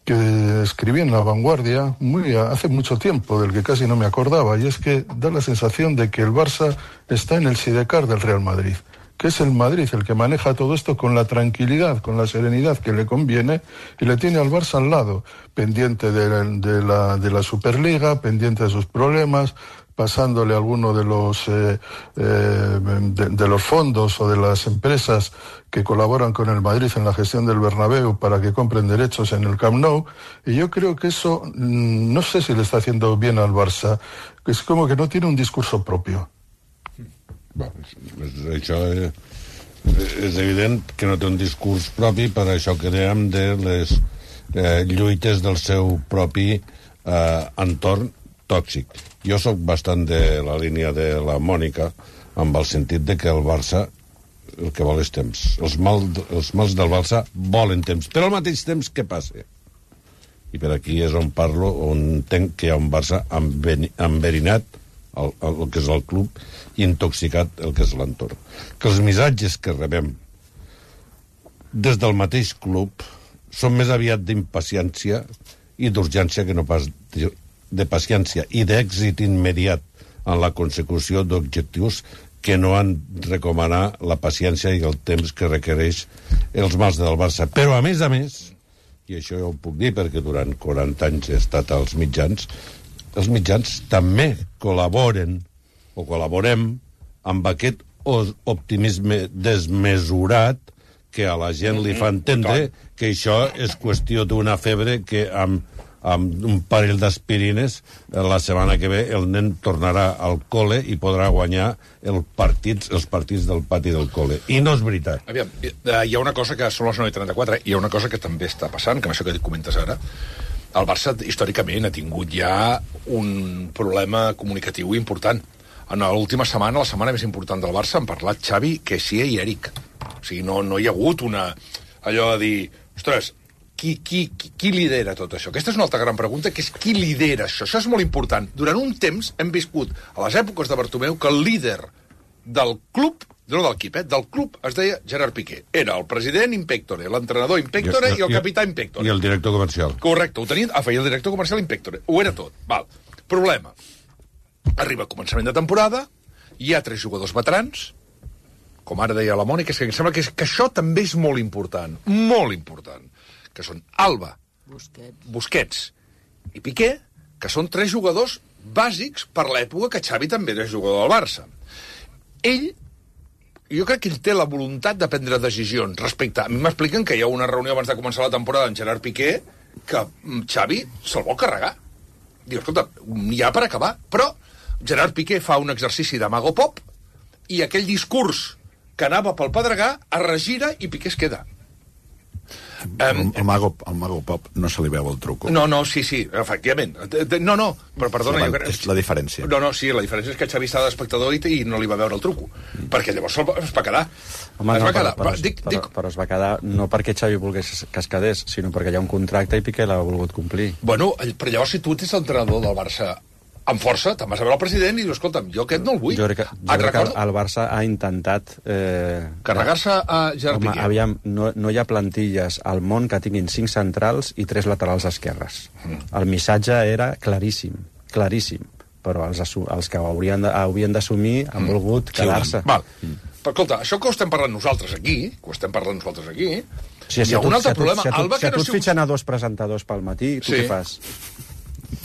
que escribí en La Vanguardia muy hace mucho tiempo, del que casi no me acordaba, y es que da la sensación de que el Barça está en el sidecar del Real Madrid, que es el Madrid el que maneja todo esto con la tranquilidad, con la serenidad que le conviene, y le tiene al Barça al lado, pendiente de, de, la, de la Superliga, pendiente de sus problemas, pasándole alguno de los, eh, eh, de, de los fondos o de las empresas que colaboran con el Madrid en la gestión del Bernabéu para que compren derechos en el Camp Nou, y yo creo que eso, no sé si le está haciendo bien al Barça, que es como que no tiene un discurso propio. Bueno, això és, és evident que no té un discurs propi, per això que dèiem de les eh, lluites del seu propi eh, entorn tòxic. Jo sóc bastant de la línia de la Mònica, amb el sentit de que el Barça el que vol és temps. Els, mal, els mals del Barça volen temps, però al mateix temps què passa? I per aquí és on parlo, on entenc que hi ha un Barça enverinat, el, el, el que és el club, i intoxicat el que és l'entorn. Que els missatges que rebem des del mateix club són més aviat d'impaciència i d'urgència que no pas de, de paciència i d'èxit immediat en la consecució d'objectius que no han recomanar la paciència i el temps que requereix els mals del Barça. Però a més a més, i això ja ho puc dir perquè durant quaranta anys he estat als mitjans, els mitjans també col·laboren o col·laborem amb aquest optimisme desmesurat que a la gent li fa entendre que això és qüestió d'una febre que amb, amb un parell d'aspirines, la setmana que ve el nen tornarà al col·le i podrà guanyar el partits, els partits del pati del col·le. I no és veritat. Aviam, hi ha una cosa que són les nou i trenta-quatre, hi ha una cosa que també està passant, que amb això que comentes ara, el Barça històricament ha tingut ja un problema comunicatiu important. En l'última setmana, la setmana més important del Barça, han parlat Xavi, Kessie i Eric. O sigui, no, no hi ha hagut una... allò de dir, ostres, Qui, qui, qui lidera tot això? Aquesta és una altra gran pregunta, que és qui lidera això. Això és molt important. Durant un temps hem viscut, a les èpoques de Bartomeu, que el líder del club, no del equip, eh, del club, es deia Gerard Piqué. Era el president in pectore, l'entrenador in pectore i, i el capità in pectore. I el director comercial. Correcte, ho tenien, ah, feia el director comercial in pectore. Ho era tot. Val. Problema. Arriba començament de temporada, hi ha tres jugadors veterans, com ara deia la Mònica, que em sembla que, és, que això també és molt important. Molt important. Que són Alba, Busquets. Busquets i Piqué, que són tres jugadors bàsics per l'època que Xavi també era jugador del Barça. Ell, jo crec que ell té la voluntat de prendre decisions respecte... A mi m'expliquen que hi ha una reunió abans de començar la temporada amb Gerard Piqué que Xavi se'l vol carregar. Diu, escolta, n'hi ha per acabar. Però Gerard Piqué fa un exercici de mago pop i aquell discurs que anava pel Pedregà es regira i Piqué es queda. Um, el, mago, el mago pop no se li veu el truco. No, no, sí, sí, efectivament. No, no, però perdona... La, jo crec... És la diferència. No, no, sí, la diferència és que Xavi estava d'espectador i, i no li va veure el truco. Mm. Perquè llavors es va quedar. Home, es no, va quedar. Però, però, dic, però, dic... però es va quedar no perquè Xavi volgués que es quedés, sinó perquè hi ha un contracte i Piqué l'ha volgut complir. Bueno, però llavors si tu ets l'entrenador del Barça amb força, te'n vas a veure el president i dius, escolta'm, jo aquest no el vull. Jo crec que, jo crec recordo... que el Barça ha intentat... Eh, carregar-se a Gerard Piqué. Aviam, no, no hi ha plantilles al món que tinguin cinc centrals i tres laterals esquerres. Mm. El missatge era claríssim, claríssim, però els, els que haurien d'assumir han mm. volgut quedar-se. Val. Mm. Però escolta, això que ho estem parlant nosaltres aquí, que ho estem parlant nosaltres aquí, sí, hi ha un altre si problema. Si a tu, Alba, si a tu no et fitxen a dos presentadors pel matí, tu sí. Què fas?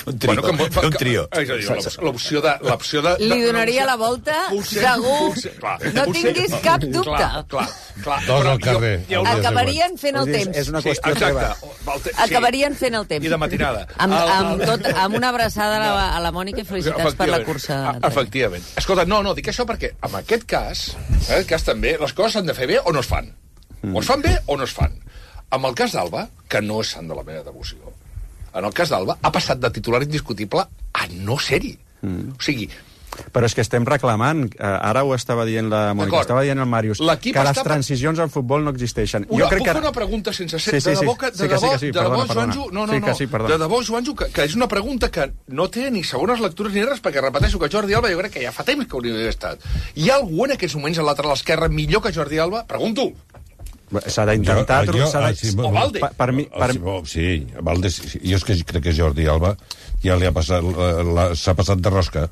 Un trio, bueno, que, un trio. És a dir, l'opció de... l'opció de Li donaria la volta, potser, segur. Potser, clar, no potser, tinguis cap dubte. Clar, clar, clar. Dos al carrer. Jo, acabarien fent el temps. És una qüestió sí, exacte. Sí. Acabarien fent el temps. I de matinada. Amb, amb, tot, amb una abraçada a la, a la Mònica i felicitats per la cursa. Efectivament. Escolta, no, no, dic això perquè en aquest cas, en aquest cas també, les coses s'han de fer bé o no es fan. O es fan bé o no es fan. En el cas d'Alba, que no és sant de la meva devoció, en el cas d'Alba, ha passat de titular indiscutible a no ser-hi. Mm. O sigui... Però és que estem reclamant, ara ho estava dient la Mònica, estava dient el Màrius, que les transicions en futbol no existeixen. Una, jo crec puc que... fer una pregunta sense ser... Sí, sí, de debò, que, sí, de debò, sí, sí, de perdona, debò, perdona. Joanjo, no, no, sí, no, sí, de debò, Joanjo, que, que és una pregunta que no té ni segones lectures ni res, perquè repeteixo que Jordi Alba jo crec que ja fa temps que hauria d'haver estat. Hi ha algú en aquests moments al lateral esquerre millor que Jordi Alba? Pregunto. S'ha d'intentar... Jo, jo, de... sí, o Valde. Per, per mi, per... Sí, Valde, sí, jo és que crec que Jordi Alba ja li ha passat, s'ha passat de rosca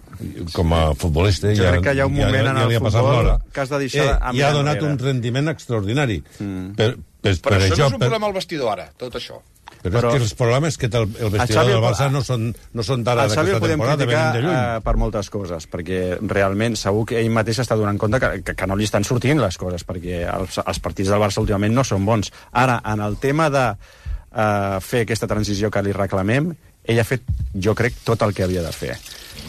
com a futbolista. Jo ja, crec que hi ha un moment ja, ja en el futbol que has de deixar... Eh, I ha donat un rendiment extraordinari. Mm. Per, per, Però per això això, no és un per... problema al vestidor ara, tot això. Però, però és que els problemes que té el, el vestidor del Barça no són, no són d'ara d'aquesta temporada, venen de lluny. Uh, per moltes coses, perquè realment segur que ell mateix està donant compte que, que, que no li estan sortint les coses, perquè els, els partits del Barça últimament no són bons. Ara, en el tema de uh, fer aquesta transició que li reclamem, ell ha fet, jo crec, tot el que havia de fer.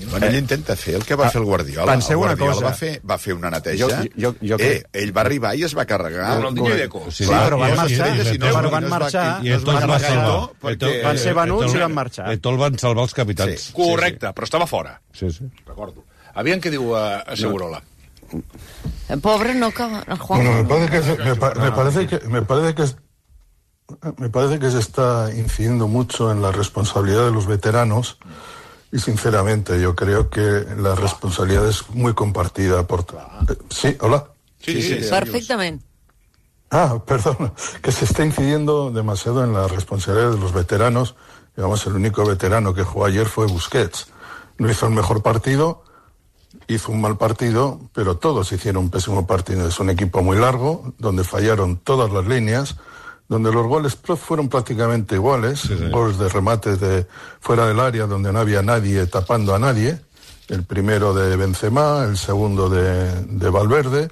Bueno, ell intenta fer el que va fer el Guardiola. Penseu el Guardiola una cosa. Va fer, va fer una neteja. Jo, jo, jo crec... eh, ell va arribar i es va carregar... Ronaldinho i Deco. Sí, clar, però van marxar. Si no, però van marxar. I no van marxar. Perquè... Van ser venuts i van marxar. I tot van salvar els capitans. Sí. Correcte, però estava fora. Sí, sí. Recordo. Aviam què diu uh, Segurola. El pobre no acaba... El Juan... Bueno, me parece que... Me, pa, me parece que... Me parece que Me parece que se está incidiendo mucho en la responsabilidad de los veteranos y sinceramente yo creo que la responsabilidad es muy compartida por... Sí, hola. Sí, sí, sí. Perfectamente. Ah, perdón, que se está incidiendo demasiado en la responsabilidad de los veteranos. Digamos, el único veterano que jugó ayer fue Busquets. No hizo el mejor partido, hizo un mal partido, pero todos hicieron un pésimo partido. Es un equipo muy largo, donde fallaron todas las líneas, donde los goles fueron prácticamente iguales, sí, sí. Goles de remates de fuera del área donde no había nadie tapando a nadie, el primero de Benzema, el segundo de, de Valverde,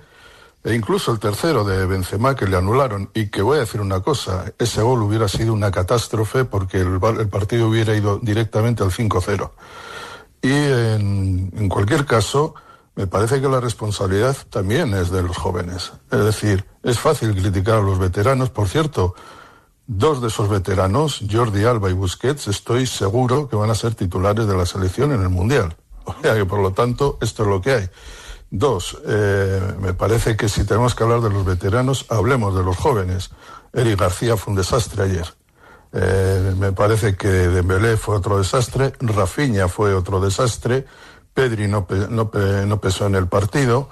E incluso el tercero de Benzema, que le anularon, y que voy a decir una cosa, ese gol hubiera sido una catástrofe porque el, el partido hubiera ido directamente al cinco cero. Y en, en cualquier caso, me parece que la responsabilidad también es de los jóvenes. Es decir, es fácil criticar a los veteranos. Por cierto, dos de esos veteranos, Jordi Alba y Busquets, estoy seguro que van a ser titulares de la selección en el Mundial. O sea que, por lo tanto, esto es lo que hay. Dos, eh, me parece que si tenemos que hablar de los veteranos, hablemos de los jóvenes. Eric García fue un desastre ayer. Eh, me parece que Dembélé fue otro desastre, Rafinha fue otro desastre, Pedri no, pe, no, pe, no pesó en el partido.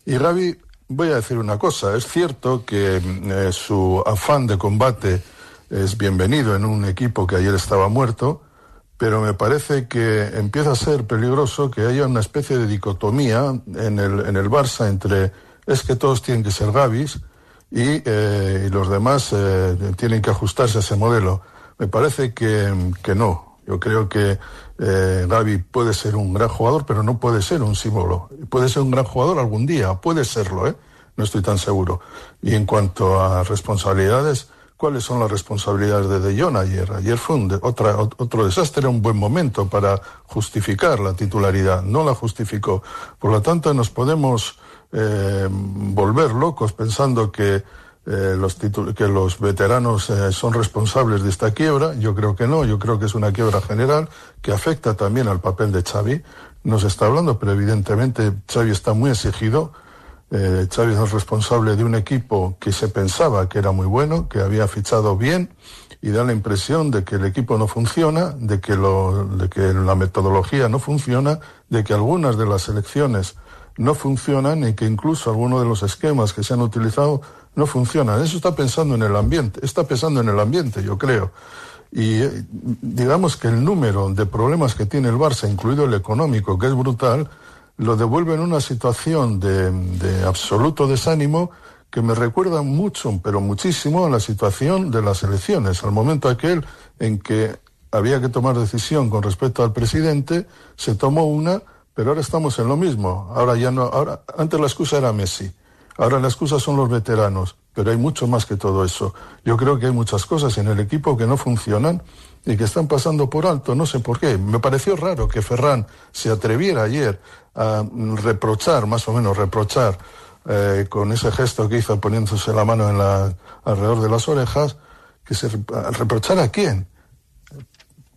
Y Gavi, voy a decir una cosa, es cierto que eh, su afán de combate es bienvenido en un equipo que ayer estaba muerto, pero me parece que empieza a ser peligroso que haya una especie de dicotomía en el, en el Barça entre es que todos tienen que ser Gavis y, eh, y los demás eh, tienen que ajustarse a ese modelo. Me parece que, que no. Yo creo que eh, Gavi puede ser un gran jugador, pero no puede ser un símbolo. Puede ser un gran jugador algún día, puede serlo, ¿eh? No estoy tan seguro. Y en cuanto a responsabilidades, ¿cuáles son las responsabilidades de De Jong ayer? Ayer fue un de, otra, otro desastre, era un buen momento para justificar la titularidad, no la justificó. Por lo tanto, nos podemos eh, volver locos pensando que, eh, los, titul- que los veteranos eh, son responsables de esta quiebra. Yo creo que no, yo creo que es una quiebra general que afecta también al papel de Xavi. No se está hablando, pero evidentemente Xavi está muy exigido. Eh, Xavi es el responsable de un equipo que se pensaba que era muy bueno, que había fichado bien, y da la impresión de que el equipo no funciona, de que, lo, de que la metodología no funciona, de que algunas de las selecciones no funcionan y que incluso algunos de los esquemas que se han utilizado no funcionan. Eso está pensando en el ambiente, está pensando en el ambiente, yo creo. Y eh, digamos que el número de problemas que tiene el Barça, incluido el económico, que es brutal, lo devuelve en una situación de, de absoluto desánimo que me recuerda mucho, pero muchísimo, a la situación de las elecciones, al momento aquel en que había que tomar decisión con respecto al presidente, se tomó una, pero ahora estamos en lo mismo. Ahora ya no, ahora, antes la excusa era Messi, ahora la excusa son los veteranos, pero hay mucho más que todo eso. Yo creo que hay muchas cosas en el equipo que no funcionan y que están pasando por alto, no sé por qué. Me pareció raro que Ferran se atreviera ayer a reprochar, más o menos reprochar, eh, con ese gesto que hizo poniéndose la mano en la, alrededor de las orejas, que se reprochara a quién,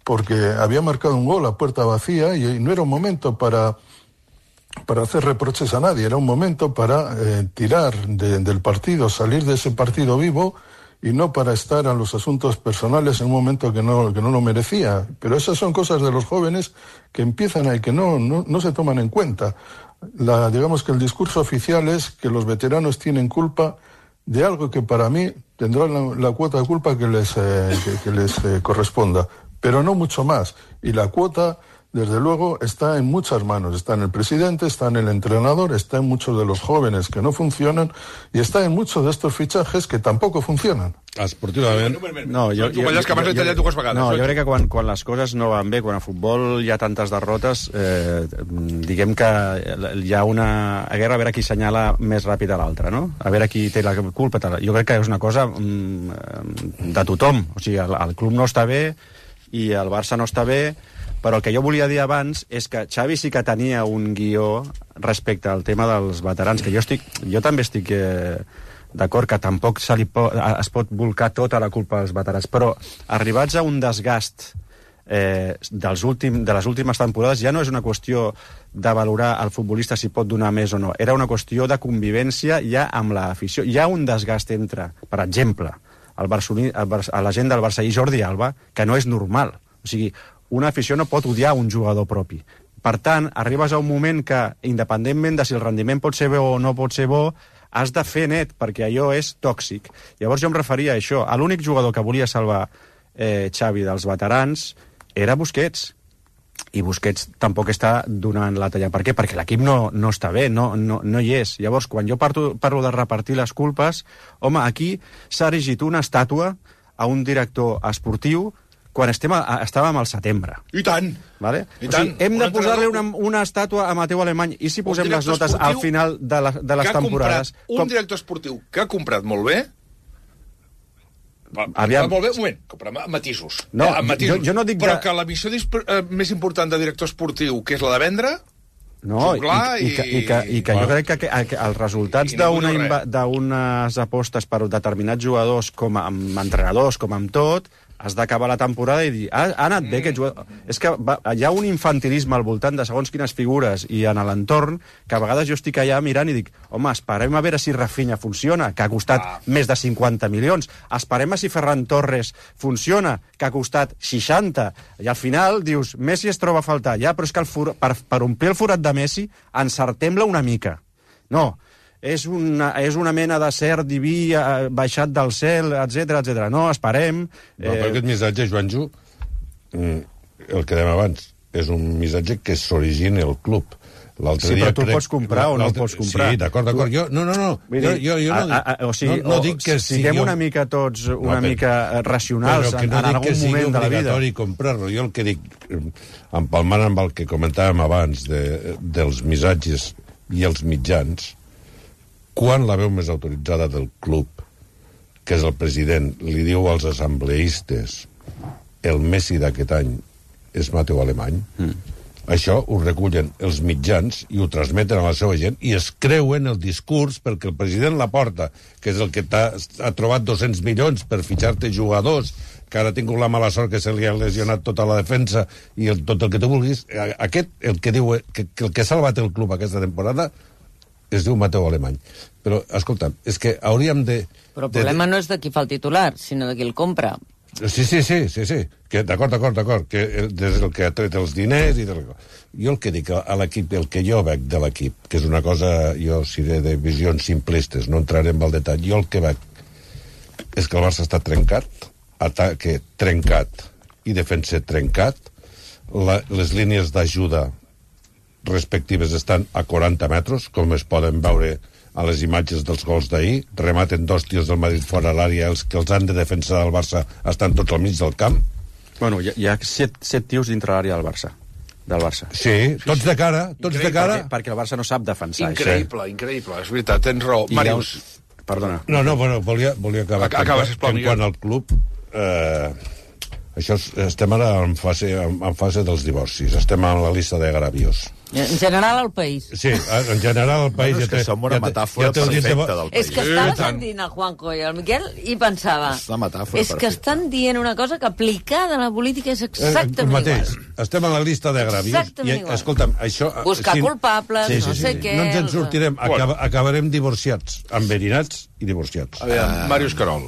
porque había marcado un gol a puerta vacía y no era un momento para, para hacer reproches a nadie, era un momento para eh, tirar de, del partido, salir de ese partido vivo, y no para estar a los asuntos personales en un momento que no, que no lo merecía. Pero esas son cosas de los jóvenes que empiezan a y que no, no, no se toman en cuenta. La, digamos que el discurso oficial es que los veteranos tienen culpa de algo que para mí tendrán la, la cuota de culpa que les, eh, que, que les eh, corresponda, pero no mucho más. Y la cuota, desde luego, está en muchas manos. Está en el presidente, está en el entrenador, está en muchos de los jóvenes que no funcionan y está en muchos de estos fichajes que tampoco funcionen. Esportivament... No, jo, jo, jo, que m'has detallat dues vegades. No, jo crec que quan, quan les coses no van bé, quan a futbol hi ha tantes derrotes, eh, diguem que hi ha una guerra a veure qui senyala més ràpid a l'altre, no? A veure qui té la culpa. Jo crec que és una cosa mm, de tothom. O sigui, el, el club no està bé i el Barça no està bé, però el que jo volia dir abans és que Xavi sí que tenia un guió respecte al tema dels veterans, que jo estic, jo també estic eh, d'acord que tampoc se li po es pot volcar tota la culpa als veterans, però arribats a un desgast eh, dels últim, de les últimes temporades ja no és una qüestió de valorar el futbolista si pot donar més o no, era una qüestió de convivència ja amb l'afició. Hi ha un desgast entre, per exemple, el Barceloní, el Bar a la gent del Barça i Jordi Alba, que no és normal. O sigui, una afició no pot odiar un jugador propi. Per tant, arribes a un moment que, independentment de si el rendiment pot ser bo o no pot ser bo, has de fer net, perquè allò és tòxic. Llavors jo em referia a això. L'únic jugador que volia salvar eh, Xavi dels veterans era Busquets. I Busquets tampoc està donant la talla. Per què? Perquè l'equip no, no està bé, no, no, no hi és. Llavors, quan jo parlo, parlo de repartir les culpes, home, aquí s'ha erigit una estàtua a un director esportiu quan estem a, estàvem al setembre. I tant! Vale? I o tant. sigui, hem Un de posar-li una, entrenador- una estàtua a Mateu Alemany, i si posem Un les director notes al esportiu final de, la, de les que ha temporades... comprat un director esportiu que ha comprat molt bé. Va, Aviam. Molt bé, un moment, compra amb matisos. No, eh, amb matisos. jo- jo no dic Però de- que la missió disp- eh, més important de director esportiu, que és la de vendre, No, i, Juglar i, que, i que, i que jo crec que, que, que els resultats I ningú d'una diu inva- res. d'unes apostes per determinats jugadors, com a, amb entrenadors, com amb tot, has d'acabar la temporada i dir, ha, ha anat bé aquest jugador... És que va, hi ha un infantilisme al voltant de segons quines figures i en l'entorn que a vegades jo estic allà mirant i dic, home, esperem a veure si Rafinha funciona, que ha costat ah. més de cinquanta milions. Esperem a si Ferran Torres funciona, que ha costat seixanta. I al final dius, Messi es troba a faltar. Ja, però és que el for... per, per omplir el forat de Messi encertem-la una mica. No, és una, és una mena de cert diví eh, baixat del cel, etc etc. No, esperem... No, però aquest missatge, Joanjo, mm, el que dèiem abans, és un missatge que s'origina al club. L'altre Sí, dia però tu crec- pots comprar o no l'altre- pots comprar. Sí, d'acord, d'acord. Jo, no, no, no. Vull Jo, dir, jo, jo no, a, a, o sigui, no, no o, dic que siguem sigui... una mica tots una No, però- mica racionals però que en, no en dic algun que sigui moment de la vida. obligatori comprar-lo. Jo el que dic, eh, empalmant amb el que comentàvem abans de, dels missatges i els mitjans, quan la veu més autoritzada del club, que és el president, li diu als assembleistes el Messi d'aquest any és Mateu Alemany, mm. això ho recullen els mitjans i ho transmeten a la seva gent i es creuen el discurs perquè el president Laporta, que és el que ha trobat dos-cents milions per fitxar-te jugadors, que ara ha tingut la mala sort que se li ha lesionat tota la defensa i el, tot el que tu vulguis, aquest, el que diu que, que el que ha salvat el club aquesta temporada es diu Mateu Alemany. Però, escolta'm, és que hauríem de... Però el problema de, no és de qui fa el titular, sinó de qui el compra. Sí, sí, sí, sí, sí. Que, d'acord, d'acord, d'acord, que des del que ha tret els diners i... Del... Jo el que dic a l'equip, el que jo veig de l'equip, que és una cosa, jo seré de visions simplistes, no entraré en el detall, jo el que veig és que el Barça està trencat, ataque trencat i defensa trencat, la, les línies d'ajuda respectives estan a quaranta metres, com es poden veure a les imatges dels gols d'ahir, rematen dos tirs del Madrid fora l'àrea, els que els han de defensar del Barça estan tots al mig del camp. Bueno, hi ha, hi ha set, set tios dintre l'àrea del Barça. Del Barça. Sí, tots de cara, tots Increïble, de cara. Perquè, perquè el Barça no sap defensar. Increïble, això. increïble, és veritat, tens raó. I Màrius. Un... Perdona. No, no, bueno, volia, volia acabar. Acaba, sisplau, en Miguel. quant al club, eh, això és, estem ara en fase, en, en fase dels divorcis, estem en la llista de agravios. En general, al país. Sí, en general el país... Bueno, és que ja té, som una ja té- metàfora ja té el dit de- perfecta del país. És que estava sentint el Juanjo i el Miquel i pensava... És la metàfora és que perfecta. estan dient una cosa que aplicada a la política és Eh, el exactament mateix. igual. Estem en la llista d'agravios. Exactament I, igual. escolta'm, això... Buscar culpables, no sé què, No ens en els- sortirem. Acaba, acabarem divorciats, enverinats i divorciats. Aviam, Màrius Carol.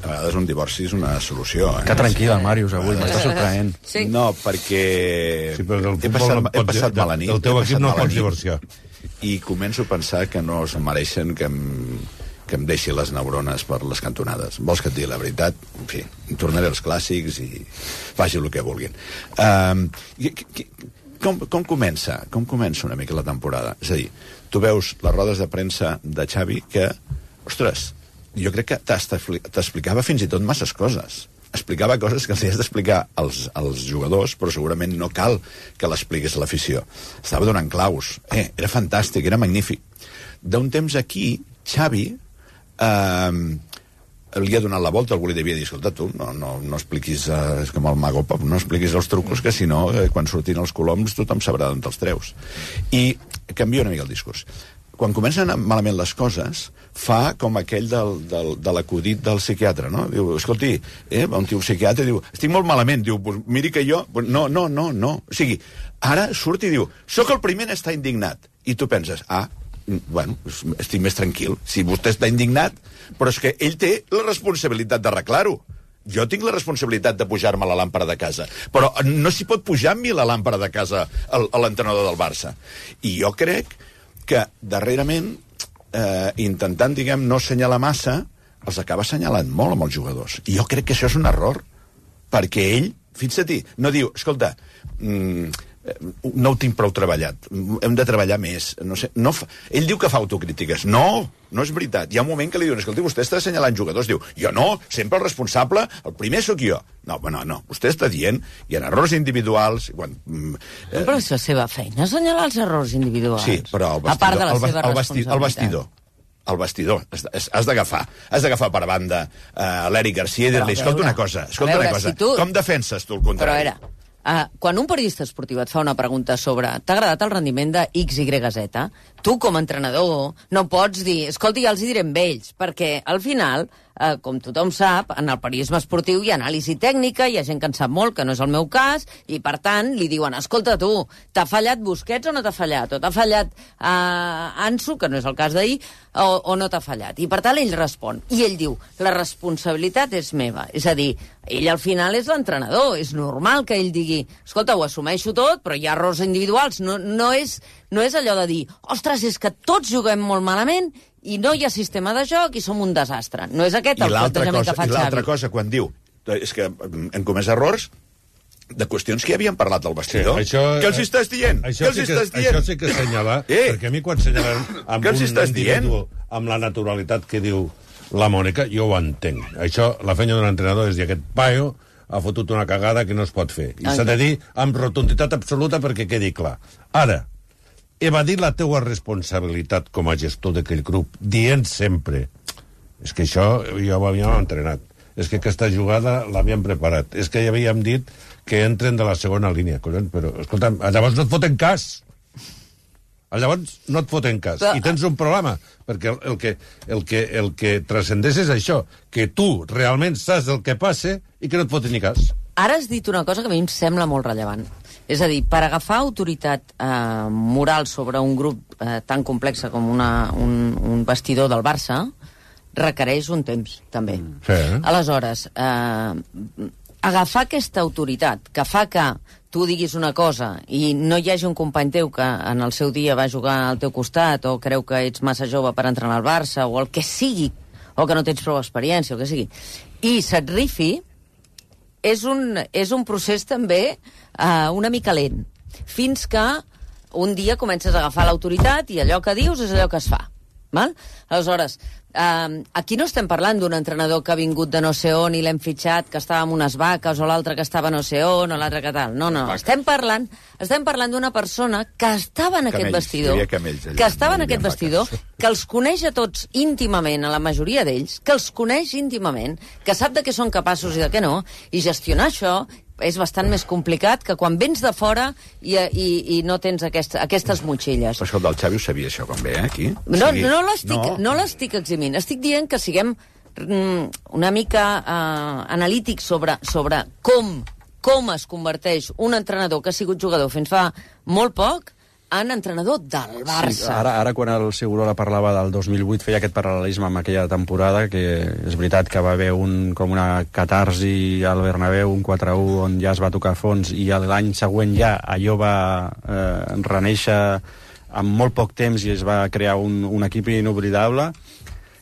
A vegades un divorci és una solució. Eh? Que tranquil, el Màrius, avui, m'està sorprenent. Sí. No, perquè Sí, però del he futbol passat, no he pots- passat mala nit. del teu he equip passat no mala pots nit, divorciar. I començo a pensar que no es mereixen que em, que em deixi les neurones per les cantonades. Vols que et digui la veritat? En fi, tornaré als clàssics i faci el que vulguin. Um, i, i, com, com comença? Com comença una mica la temporada? És a dir, tu veus les rodes de premsa de Xavi que, ostres, jo crec que t'explicava fins i tot masses coses. Explicava coses que els has d'explicar als, als jugadors, però segurament no cal que l'expliqués a l'afició. Estava donant claus. Eh, era fantàstic, era magnífic. D'un temps aquí, Xavi eh, li ha donat la volta, algú li devia dir, escolta, tu, no, no, no expliquis, eh, és com el Mago Pop, no expliquis els trucos, que si no, eh, quan surtin els coloms, tothom sabrà d'on te'ls treus. I canvia una mica el discurs. Quan comencen a anar malament les coses, fa com aquell del, del, de l'acudit del psiquiatre, no? Diu, escolti, eh, un tio psiquiatre diu, estic molt malament, diu, pues, miri que jo... Pues, no, no, no, no. O sigui, ara surt i diu, sóc el primer a estar indignat. I tu penses, ah, bueno, estic més tranquil. Si vostè està indignat, però és que ell té la responsabilitat d'arreglar-ho. Jo tinc la responsabilitat de pujar-me la làmpara de casa, però no s'hi pot pujar amb mi la làmpara de casa a l'entrenador del Barça. I jo crec que darrerament, eh, intentant, diguem, no assenyalar massa, els acaba assenyalant molt amb els jugadors. I jo crec que això és un error, perquè ell, fixa't-hi, no diu, escolta, mmm, no ho tinc prou treballat, hem de treballar més. No sé, no fa... Ell diu que fa autocrítiques. No, no és veritat. Hi ha un moment que li diuen, escolti, vostè està assenyalant jugadors. Diu, jo no, sempre el responsable, el primer sóc jo. No, no, no. Vostè està dient, hi ha errors individuals... Quan, eh... Però és la seva feina, assenyalar els errors individuals. Sí, però el vestidor... A part de la el, seva el, vesti, el vestidor. El vestidor. Has d'agafar. Has d'agafar per banda uh, l'Eric Garcia i dir-li, escolta una cosa, escolta veure, una cosa. Si tu... Com defenses tu el contrari? Però era... Uh, quan un periodista esportiu et fa una pregunta sobre t'ha agradat el rendiment de X Y Z, tu com a entrenador no pots dir, escolta, ja els hi direm ells, perquè al final, uh, com tothom sap, en el periodisme esportiu hi ha anàlisi tècnica, hi ha gent que en sap molt, que no és el meu cas, i per tant li diuen, escolta tu, t'ha fallat Busquets o no t'ha fallat? O t'ha fallat uh, Ansu, que no és el cas d'ahir, o, o no t'ha fallat? I per tant ell respon, i ell diu, la responsabilitat és meva, és a dir, ell al final és l'entrenador, és normal que ell digui, escolta, ho assumeixo tot, però hi ha errors individuals, no, no, és, no és allò de dir, ostres, és que tots juguem molt malament i no hi ha sistema de joc i som un desastre. No és aquest el plantejament que fa Xavi. I l'altra cosa, quan diu, és que hem comès errors de qüestions que ja havíem parlat del vestidor. Sí, això, què els estàs dient? Això, què els sí estàs que, dient? això sí que assenyalar, eh? perquè a mi quan assenyalen amb un individu amb la naturalitat que diu la Mònica, jo ho entenc. Això, la feina d'un entrenador és dir, aquest paio ha fotut una cagada que no es pot fer. I s'ha de dir amb rotunditat absoluta perquè quedi clar. Ara, evadir la teua responsabilitat com a gestor d'aquell grup, dient sempre, és que això ja ho havíem entrenat, és que aquesta jugada l'havíem preparat, és que ja havíem dit que entren de la segona línia, collons, però, escolta'm, llavors no et foten cas. Llavors no et foten cas. Però... I tens un problema, perquè el, el, que, el, que, el que transcendeix és això, que tu realment saps el que passa i que no et foten ni cas. Ara has dit una cosa que a mi em sembla molt rellevant. És a dir, per agafar autoritat eh, moral sobre un grup eh, tan complex com una, un, un vestidor del Barça requereix un temps, també. Sí. Aleshores, eh, agafar aquesta autoritat que fa que tu diguis una cosa i no hi hagi un company teu que en el seu dia va jugar al teu costat o creu que ets massa jove per entrenar al Barça o el que sigui, o que no tens prou experiència, o que sigui, i se't rifi, és un, és un procés també uh, una mica lent, fins que un dia comences a agafar l'autoritat i allò que dius és allò que es fa. Val? Aleshores, uh, aquí no estem parlant d'un entrenador que ha vingut de no sé on i l'hem fitxat, que estava amb unes vaques, o l'altre que estava no sé on, o l'altre que tal. No, no, estem parlant, estem parlant d'una persona que estava en aquest vestidor, que estava en aquest vestidor, que els coneix a tots íntimament, a la majoria d'ells, que els coneix íntimament, que sap de què són capaços i de què no, i gestionar això és bastant més complicat que quan vens de fora i, i, i no tens aquest, aquestes motxilles. Però escolta, el Xavi ho sabia, això, com ve, eh, aquí? No, no l'estic no. no l'estic eximint. Estic dient que siguem mm, una mica uh, analítics sobre, sobre com, com es converteix un entrenador que ha sigut jugador fins fa molt poc en entrenador del Barça. Sí, ara, ara, quan el Segurola parlava del dos mil vuit, feia aquest paral·lelisme amb aquella temporada, que és veritat que va haver un, com una catarsi al Bernabéu, un quatre a u, on ja es va tocar fons, i l'any següent ja allò va eh, reneixer en molt poc temps i es va crear un, un equip inoblidable.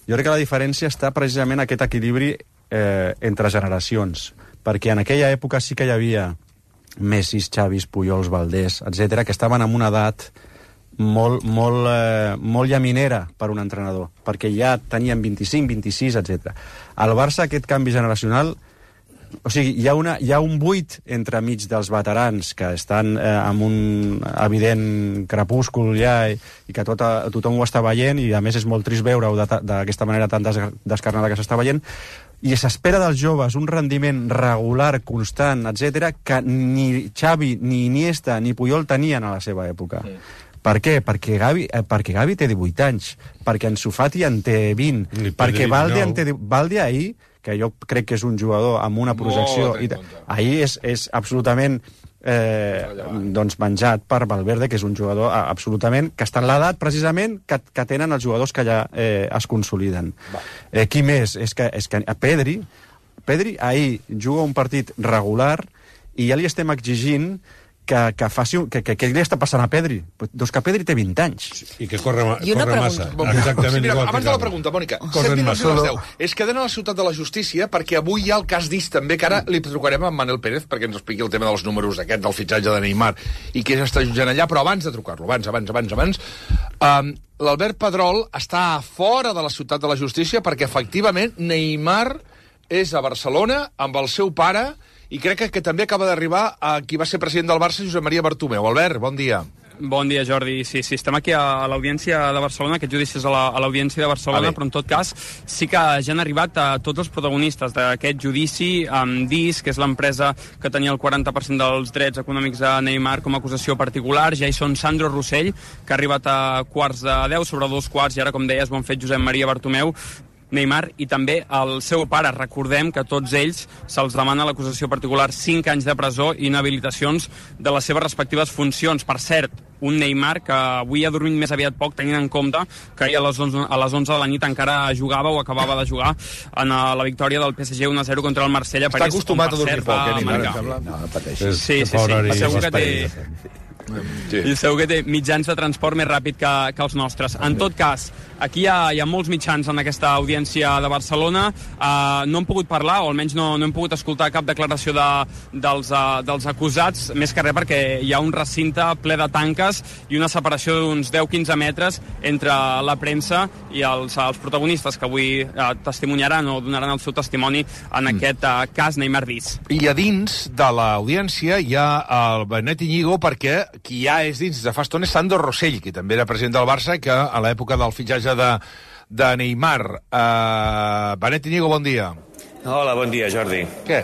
Jo crec que la diferència està precisament en aquest equilibri eh, entre generacions, perquè en aquella època sí que hi havia Messis, Xavis, Pujols, Valdés, etcètera, que estaven en una edat molt, molt, eh, molt llaminera per un entrenador, perquè ja tenien vint-i-cinc, vint-i-sis, etcètera. Al Barça aquest canvi generacional, o sigui, hi ha, una, hi ha un buit entre mig dels veterans que estan eh, amb un evident crepúscul ja i, i que tot, tothom ho està veient, i a més és molt trist veure-ho d'aquesta manera tan des, descarnada que s'està veient, i s'espera dels joves un rendiment regular, constant, etcètera, que ni Xavi, ni Iniesta, ni Puyol tenien a la seva època. Sí. Per què? Perquè Gavi, eh, perquè Gavi té divuit anys, perquè Ansu Fati en té vint, ni perquè Valde en té... Valde ahir, que jo crec que és un jugador amb una projecció... I, ahir és, és absolutament eh, doncs menjat per Valverde, que és un jugador absolutament... que està en l'edat, precisament, que, que tenen els jugadors que allà eh, es consoliden. Eh, qui més? És que, és que Pedri, Pedri ahir juga un partit regular i ja li estem exigint que, que, faci, que, que, que li està passant a Pedri. Doncs que Pedri té vint anys. I que corre, corre massa. Exactament igual. Abans de la pregunta, Mònica, set minuts i les deu. És que anem a la ciutat de la justícia perquè avui hi ha el cas d'Is també, que ara li trucarem a Manel Pérez perquè ens expliqui el tema dels números aquest del fitxatge de Neymar i què s'està jutjant allà, però abans de trucar-lo, abans, abans, abans, abans, um, l'Albert Pedrol està fora de la ciutat de la justícia perquè efectivament Neymar és a Barcelona amb el seu pare i crec que, que també acaba d'arribar a qui va ser president del Barça, Josep Maria Bartomeu. Albert, bon dia. Bon dia, Jordi. Sí, sí, estem aquí a l'Audiència de Barcelona, aquest judici és a l'Audiència de Barcelona, ah, però en tot cas sí que ja han arribat a tots els protagonistes d'aquest judici, amb Dis, que és l'empresa que tenia el quaranta per cent dels drets econòmics de Neymar com a acusació particular. Ja hi són Sandro Rossell, que ha arribat a quarts de deu, sobre dos quarts, i ara, com deies, ho han fet Josep Maria Bartomeu, Neymar i també el seu pare. Recordem que a tots ells se'ls demana l'acusació particular cinc anys de presó i inhabilitacions de les seves respectives funcions. Per cert, un Neymar que avui ha dormit més aviat poc, tenint en compte que ahir a les onze, a les onze de la nit encara jugava o acabava de jugar en la victòria del P S G un a zero contra el Marsella. Està acostumat a dormir poc, eh, Neymar? No, no pateixis. Sí, sí, sí. Segur que té... Sí. I segur que té mitjans de transport més ràpid que, que els nostres. En tot cas, aquí hi ha, hi ha molts mitjans en aquesta audiència de Barcelona. Uh, no hem pogut parlar, o almenys no, no hem pogut escoltar cap declaració de, dels, uh, dels acusats, més que res perquè hi ha un recinte ple de tanques i una separació d'uns deu a quinze metres entre la premsa i els, els protagonistes que avui uh, testimoniaran o donaran el seu testimoni en mm. aquest uh, cas Neymar Dis. I a dins de l'audiència hi ha el Benet Iñigo, perquè qui ja és dins de fa estona és Sandro Rossell, que també era president del Barça, que a l'època del fitxatge de, de Neymar. Uh, Benet Iñigo, bon dia. Hola, bon dia, Jordi. Què?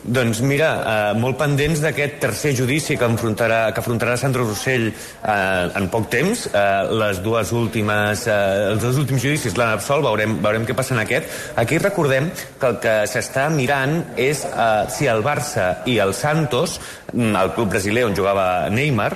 Doncs mira, eh, molt pendents d'aquest tercer judici que afrontarà, que afrontarà Sandro Rossell eh, en poc temps. Eh, les dues últimes, eh, els dos últims judicis l'han absolt, veurem, veurem què passa en aquest. Aquí recordem que el que s'està mirant és eh, si el Barça i el Santos, el club brasiler on jugava Neymar,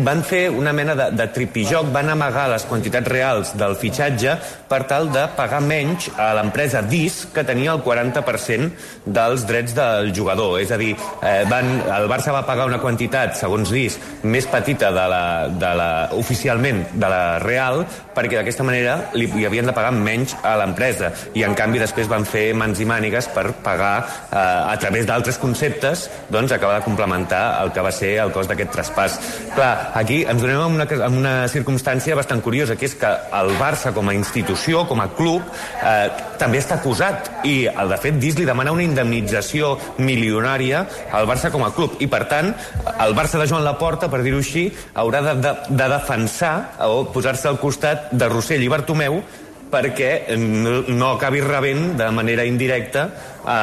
van fer una mena de, de tripijoc, van amagar les quantitats reals del fitxatge per tal de pagar menys a l'empresa Dis, que tenia el quaranta per cent dels drets del jugador. És a dir, eh, van, el Barça va pagar una quantitat, segons Dis, més petita de la, de la, oficialment de la real, perquè d'aquesta manera li, li havien de pagar menys a l'empresa. I en canvi després van fer mans i mànigues per pagar, eh, a través d'altres conceptes, doncs acabar de complementar el que va ser el cost d'aquest traspàs. Clar, aquí ens donem en una, en una circumstància bastant curiosa, que és que el Barça com a institució, com a club, eh, també està acusat, i de fet Dis li demana una indemnització milionària al Barça com a club, i per tant el Barça de Joan Laporta, per dir-ho així, haurà de, de, de defensar o posar-se al costat de Rossell i Bartomeu perquè no, no acabi rebent de manera indirecta eh,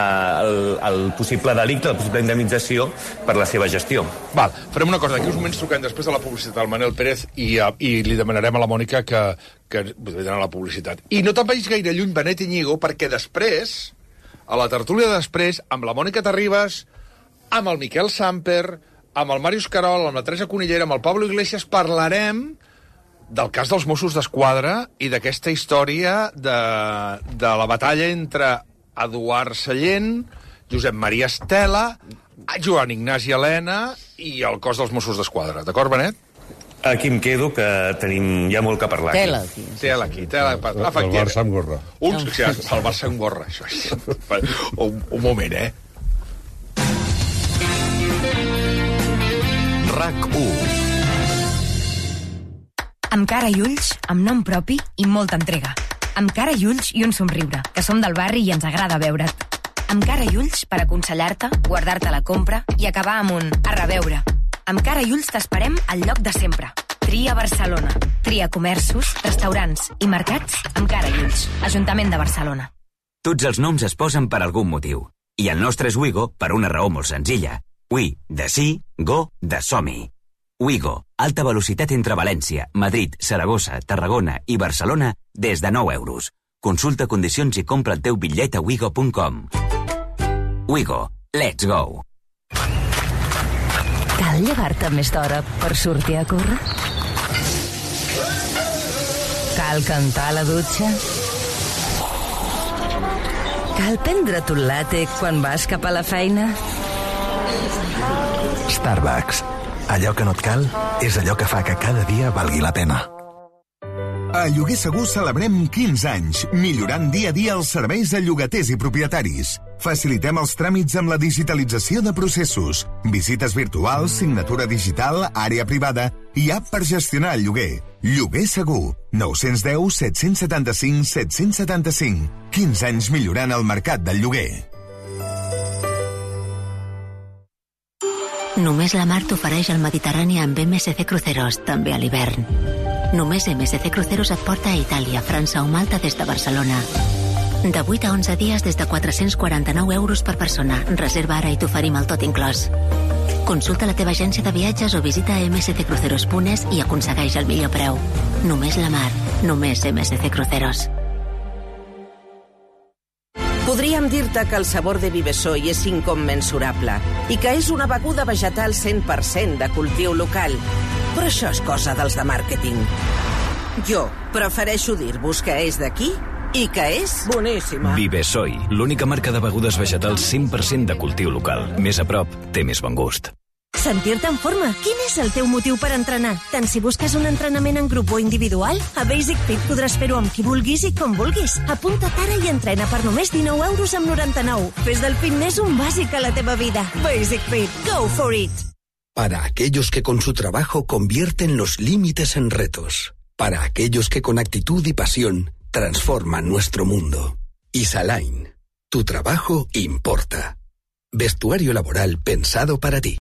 el, el possible delicte, la possible indemnització per la seva gestió. Val, farem una cosa, aquí uns moments truquem després de la publicitat al Manel Pérez i, uh, i li demanarem a la Mònica que, que vindrà a la publicitat. I no te'n vagis gaire lluny, Benet Iñigo, perquè després, a la tertúlia de després, amb la Mònica Terribas, amb el Miquel Samper, amb el Màrius Carol, amb la Teresa Conillera, amb el Pablo Iglesias, parlarem del cas dels Mossos d'Esquadra i d'aquesta història de, de la batalla entre Eduard Sallent, Josep Maria Estela, Joan Ignasi Helena i el cos dels Mossos d'Esquadra. D'acord, Benet? Aquí em quedo, que tenim ja molt que parlar. Tela aquí. Tela aquí, tela. El, el Barça amb gorra. Uns, sí, el Barça amb gorra, això és. Un, un moment, eh? RAC u. Amb cara i ulls, amb nom propi i molta entrega. Amb cara i ulls i un somriure, que som del barri i ens agrada veure't. Amb cara i ulls per aconsellar-te, guardar-te la compra i acabar amb un a reveure. Amb cara i ulls t'esperem al lloc de sempre. Tria Barcelona. Tria comerços, restaurants i mercats amb cara i ulls. Ajuntament de Barcelona. Tots els noms es posen per algun motiu. I el nostre és Wigo per una raó molt senzilla. Wi, de sí, go, de som-hi. Wigo, alta velocitat entre València, Madrid, Saragossa, Tarragona i Barcelona des de nou euros. Consulta condicions i compra el teu bitllet a wigo punt com. Wigo, let's go! Cal llevar-te més d'hora per sortir a córrer? Cal cantar a la dutxa? Cal prendre't un latte quan vas cap a la feina? Starbucks. Allò que no et cal és allò que fa que cada dia valgui la pena. A Lloguer Segur celebrem quinze anys, millorant dia a dia els serveis de llogaters i propietaris. Facilitem els tràmits amb la digitalització de processos, visites virtuals, signatura digital, àrea privada i app per gestionar el lloguer. Lloguer Segur, nou u zero, set set cinc, set set cinc. quinze anys millorant el mercat del lloguer. Només la mar t'ofereix el Mediterrani amb M S C Cruceros, també a l'hivern. Només M S C Cruceros et porta a Itàlia, França o Malta des de Barcelona. De vuit a onze dies des de quatre-cents quaranta-nou euros per persona. Reserva ara i t'oferim el tot inclòs. Consulta la teva agència de viatges o visita m s c cruceros punt es i aconsegueix el millor preu. Només la mar, només M S C Cruceros. Podríem dir-te que el sabor de Vivesoy és incommensurable i que és una beguda vegetal cent per cent de cultiu local. Però això és cosa dels de màrqueting. Jo prefereixo dir-vos que és d'aquí i que és boníssima. Vivesoy, l'única marca de begudes vegetals cent per cent de cultiu local. Més a prop, té més bon gust. Sentir-te en forma. Quin és el teu motiu per entrenar? Tant si busques un entrenament en grup o individual, a Basic Fit podràs fer-ho amb qui vulguis i com vulguis. Apunta't ara i entrena per només dinou euros amb noranta-nou. Fes del fitness un bàsic a la teva vida. Basic Fit. Go for it! Para aquellos que con su trabajo convierten los límites en retos. Para aquellos que con actitud y pasión transforman nuestro mundo. Isaline. Tu trabajo importa. Vestuario laboral pensado para ti.